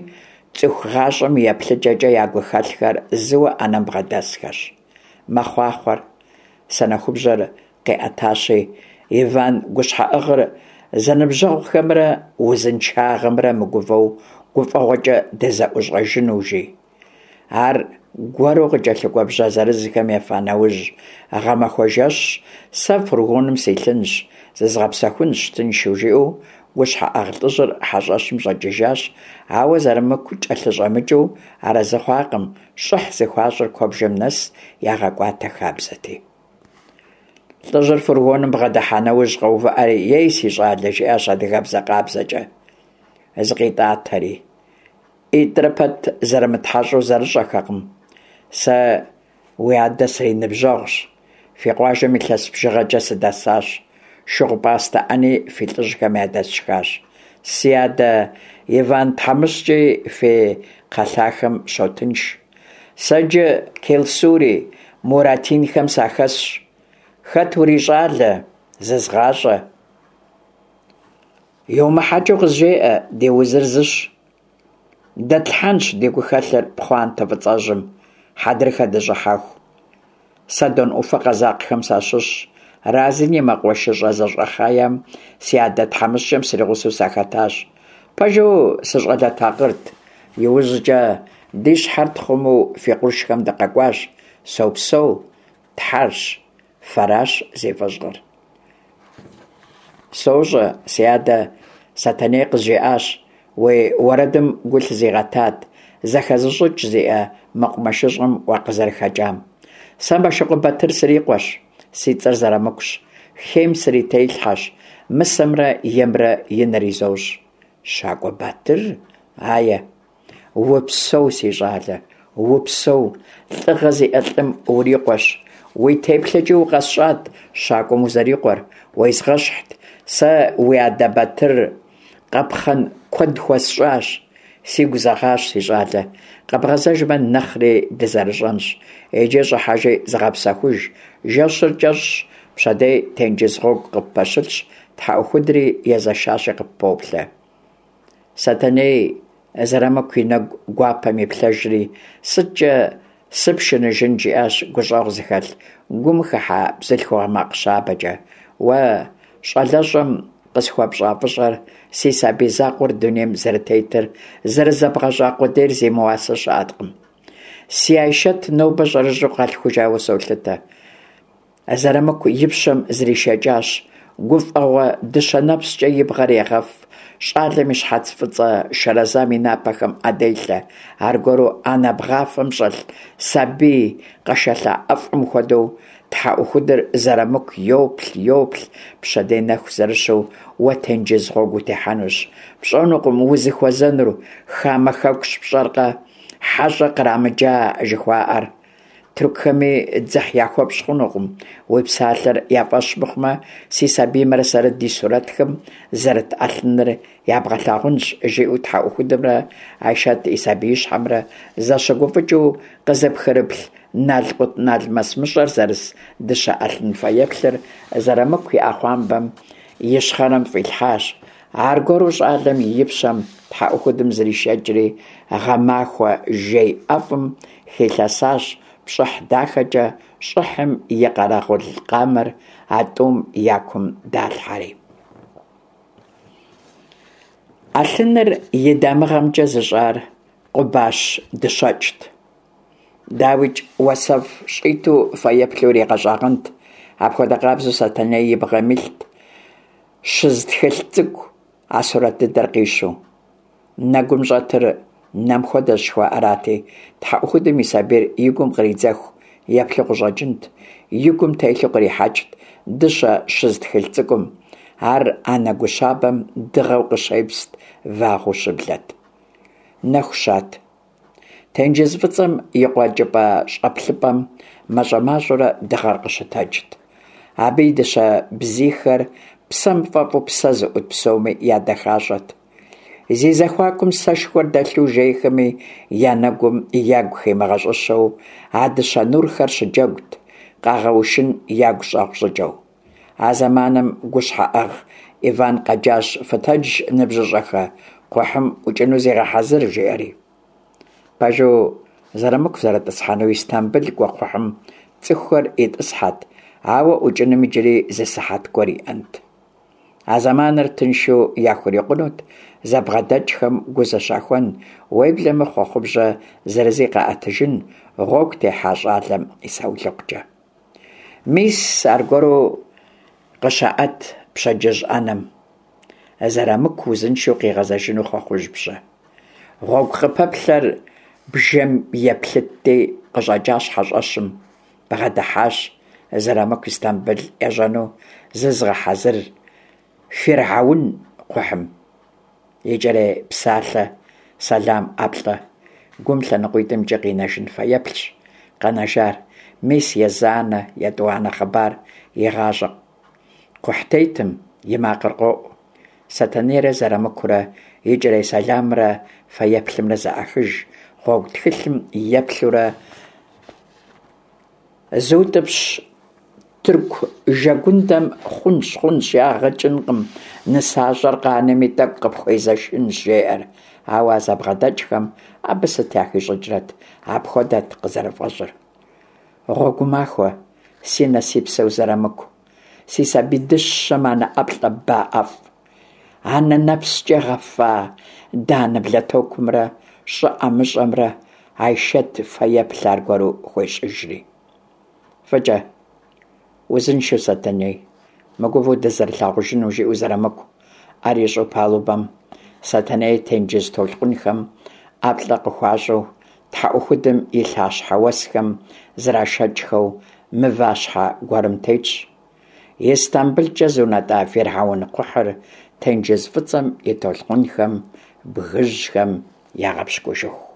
цӏыху гъащӏэм и еплъыкӏэкӏэ я гухэлъхэр зыуэ ӏэнэм бгъэдэсхэщ. Мэхъуахъуэр, санэхубжьэр къиӏэтащи, Иван гущхьэӀыгъыр зэныбжьэгъухэмрэ узыншагъэмрэ мыгувэу гуфӀэгъуэкӀэ дызэӀущӀэжыну, жи. Аргуэру къыкӀэлъыкӀуэ бжьэ зырызхэм ефа нэужь, «гъэмахуэ жэщщ, сэ фургоным силъынщ, зызгъэпсэхунщ тыншу», жиӀэу гущхьэӀыгъ лӀыжьыр хьэщӀэщым щӀэкӀыжащ, ауэ Зэрамыку кӀэлъыщӀэмыкӀыу арэзы хъуакъым, щӀыхь зыхуащӀыр куэбжэм нэс ягъэкӀуатэ хабзэти. ЛӀыжьыр фургоным бгъэдыхьа нэужь къэувыӀэри, «Ей, си щӀалэ», жиӀащ адыгэбзэ къабзэкӀэ, зыкъитӀатэри. ӀитӀрэ пэт зэрымытхьэщӀу зэрыщӀэхэкъым. Сэ уи адэ сриныбжьэгъущ, фи къуажэм илъэс бжыгъэкӀэ сыдэсащ, шыгъупӀастэ Ӏэни фи лӀыжьхэм ядэсшхащ. Си адэ Иван тхьэмыщкӀи фи кхъэлъахэм щотынш. Сэ иджы Келсури Муратинхэм сахэсщ. Хэт урищӀалэ? ЗэзгъащӀэ. ЙумыхьэкӀыу къызжеӀэ, ди узыр зыщ. Дэтлъхьэнщ ди гухэлъыр пхъуантэ фӀыцӀэжьым, хьэдрыхэ дыщӀыхьэху. Сэ Дон Ӏуфэ къэзакъхэм сащыщщ. Разин и мэкъумэшыщӀэ зэщӀэхъеем си адэ тхьэмыщкӀэм сригъусэу сахэтащ. Пэжу, сыщӀалэ такъырт. ИужькӀэ ди щхьэр тхъумэу фи къуршхэм дыкъэкӀуащ. Сопсэу, Тхьэрщ, фэращ зи фӀыщӀэр. СощӀэ, си адэ Сэтэней къызжиӀащ, уи уэрэдым гу лъызигъэтат, зэхэзыщӀыкӀ зиӀэ мэкъумэшыщӀэм уакъызэрыхэкӀам. Сэ Мэшыкъуэ Батыр срикъуэщ, си цӀэр Зэрамыкущ, хейм срителъхьэщ, мысэмрэ емрэ и нэр изощӀ. ЩакӀуэ Батыр? Ае! Упсэу, си щӀалэ, упсэу, лӀыгъэ зиӀэ лӀым урикъуэщ. Уи теплъэкӀи укъэсщӀат щакӀуэм узэрикъуэр, уезгъэщхьт. Сэ уи адэ Батыр къапхъэн куэд хуэсщӀащ. Сигу зэгъащ, си щӀалэ, къэбгъэзэжмэ, нэхъри дызэрыщӀэнщ. Иджы щӀыхьэжи зыгъэпсэхуж, жэщыр кӀэщӀщ, пщэдей тенджыз гъуэгу къыппэщылъщ, тхьэӀухудри езэшащи къыппоплъэ. Сэтэней Зэрамыку и нэгу гуапэм иплъэжри, сыткӀэ сыпшыныжын, жиӀащ гущӀэгъу зыхэлъ, гум хыхьэ бзылъхугъэ макъ щабэкӀэ. Уэ щӀалэщӀэм къысхуэпщӀа фӀыщӀэр, си сабий закъуэр дунейм зэрытетыр зэрызэбгъэщӀа къудейр зимыуасэ щыӀэкъым. Си Айшэт нобэ щӀэрыщӀэу къалъхужауэ солъытэ. Зэрамыку и пщэм зришэкӀащ, гуфӀэгъуэ дыщэ нэпскӀэ и бгъэр егъэф, щӀалэм и щхьэц фӀыцӀэ шэрэзам и напэхэм Ӏэ делъэ, аргуэру анэ бгъафэм щӀэлъ сабий къэшэлъа ӀэфӀым хуэдэу тхьэӀухудыр Зэрамыку йоплъ, йоплъ, пщэдей нэху зэрыщу уэ тенджыз гъуэгу утехьэнущ. ПщӀэнукъым узыхуэзэнур, хамэ хэкущ, пщӀэркъэ, хьэщӀэ кърамыджа жыхуаӀэр. Тыркухэми дзыхь яхуэпщӀ хъунукъым, уи псалъэр я фӀэщ мыхъумэ, си сабиймрэ сэрэ ди сурэтхэм зэрыт Ӏэлъыныр ябгъэлъагъунщ, жиӀэу тхьэӀухудымрэ Айшэт и сабиищхьэмрэ зэщыгуфӀыкӀыу къызэпхрыплъ налкъутналмэс мыщӀэр зэрыс дыщэ Ӏэлъын фэеплъыр Зэрамыку и Ӏэхъуамбэм ищхъэрэм фӀилъхьащ. Аргуэру щӀалэм и пщэм тхьэӀухудым зришэкӀри, гъэмахуэ жей ӀэфӀым хилъэсащ пщӀыхь дахэкӀэ, щӀыхьым и къэрэгъул къамэр а тӀум я кум далъхьэри. Ӏэлъыныр и дамыгъэмкӀэ зыщӀар Къубащ дыщэкӀт. ДауикӀ, уасэфӀ щӀиту фэеплъу иригъэщӀагъэнт. Апхуэдэ къабзэу Сэтэней и бгъэм илът щыз тхылъ цӀыкӀу, а сурэт дыдэр къищу. Нэгум щӀэтыр нэм хуэдэщ жыхуаӀэрати, тхьэӀухудым и сабийр и гум къридзэху еплъу къыщӀэкӀынт, и гум телъу кърихьэкӀт дыщэ щыз тхылъ цӀыкӀум. Ар анэ гу щабэм дыгъэу къыщепст, вагъуэу щыблэт. Нэху щат. Тенджыз фӀыцӀэм и къуэкӀыпӀэ щӀэплъыпӀэм мащӀэ-мащӀэурэ дыгъэр къыщытэджт. Абы и дыщэ бзийхэр псэм фӀэфӀу псэ зыӀут псоми ядэхащӀэт. Зи зэхуакум сэшхуэр дэлъу жейхэми я нэгум ягу химыгъэщӀыщэу а дыщэ нурхэр щыджэгут. къагъэушын ягу щӏэгъу щӏыкӏэу. А зэманым гущхьэӏыгъ Иван къэджащ: «Фытэдж, ныбжьыщӏэхэ, кхъухьым ӏукӏыну зегъэхьэзыр!» – жиӏэри. Пэжу, Зырамыку зэрытӏысхьэну Истамбыл кӏуэ кхъухьым цӏыхухэр итӏысхьэт, ауэ ӏукӏыным иджыри зы сыхьэт гуэр иӏэнт. А зэманыр тыншу яхурикъунут зэбгъэдэкӏхэм гу зэщахуэн, уеблэмэ хъуэхъубжьэ зырызи къаӏэтыжын, гъуэгу техьа щӏалэм и саулыкъукӏэ. Мис аргуэру къыщаӏэт пщэдджыжь ӏэнэм. Зырамыку узыншэу къигъэзэжыну хъуэхъужь бжьэ. Гъуэгу къыпэплъэр бжэм еплъытти, къыщӏэкӏащ хьэщӏэщым, бгъэдыхьащ Зырамыку Истамбыл ежьэну зызыгъэхьэзыр «Фирхьэун» кхъухьым. Икӏэрей псалъэ, сэлам, ӏэплӏэ. Гум лъэныкъуитӏымкӏи къинэжын фэеплъщ къэнэжар. Мис езанэ, етӏуанэ хъыбар игъащӏэ кхъухьтетым и макъыр къоӏу. Сэтэнейрэ Зырамыкурэ икӏэрей сэламымрэ фэеплъымрэ зэӏахыж, гъуэгу тхылъым еплъурэ зыутӏыпщ тырку жэгундэм «хъунщ, хъунщ, ягъэ кӏынкъым, нысащӏэр къанэми тӏэкӏу къыпхуезэшынщ» жеӏэр. Ауэ а зэбгъэдэкӏхэм абы сыт яхищӏыкӏрэт, апхуэдэт къызэрыфӏэщӏыр. Гъуэгумахуэ, си нэ си псэу Зырамыку, си сабий дыщэм анэ ӏэплӏэ ба ӏэфӏ. Анэ нэпскӏэ гъэфа данэ блатокумрэ щӏы ӏэмыщӏэмрэ Айшэт фэеплъ аргуэру хуещӏыжри. Фӏыкӏэ, узыншэу, Сэтэней, мыгувэу дызэрылъагъужыну, жиӏэу Зырамыку ӏэр ищӏу палубэм, Сэтэней тенджыз толъкъунхэм ӏэплӏэ къыхуащӏу, тхьэӏухудым и лъащхьэ уэсхэм зрашэкӏхэу мыващхьэ гуэрым тетщ. Истамбылкӏэ зунэтӏа «Фирхьэун» кхъухьыр тенджыз фӏыцӏэм и толъкъунхэм бгыжьхэм ягъэпщкӏужыху.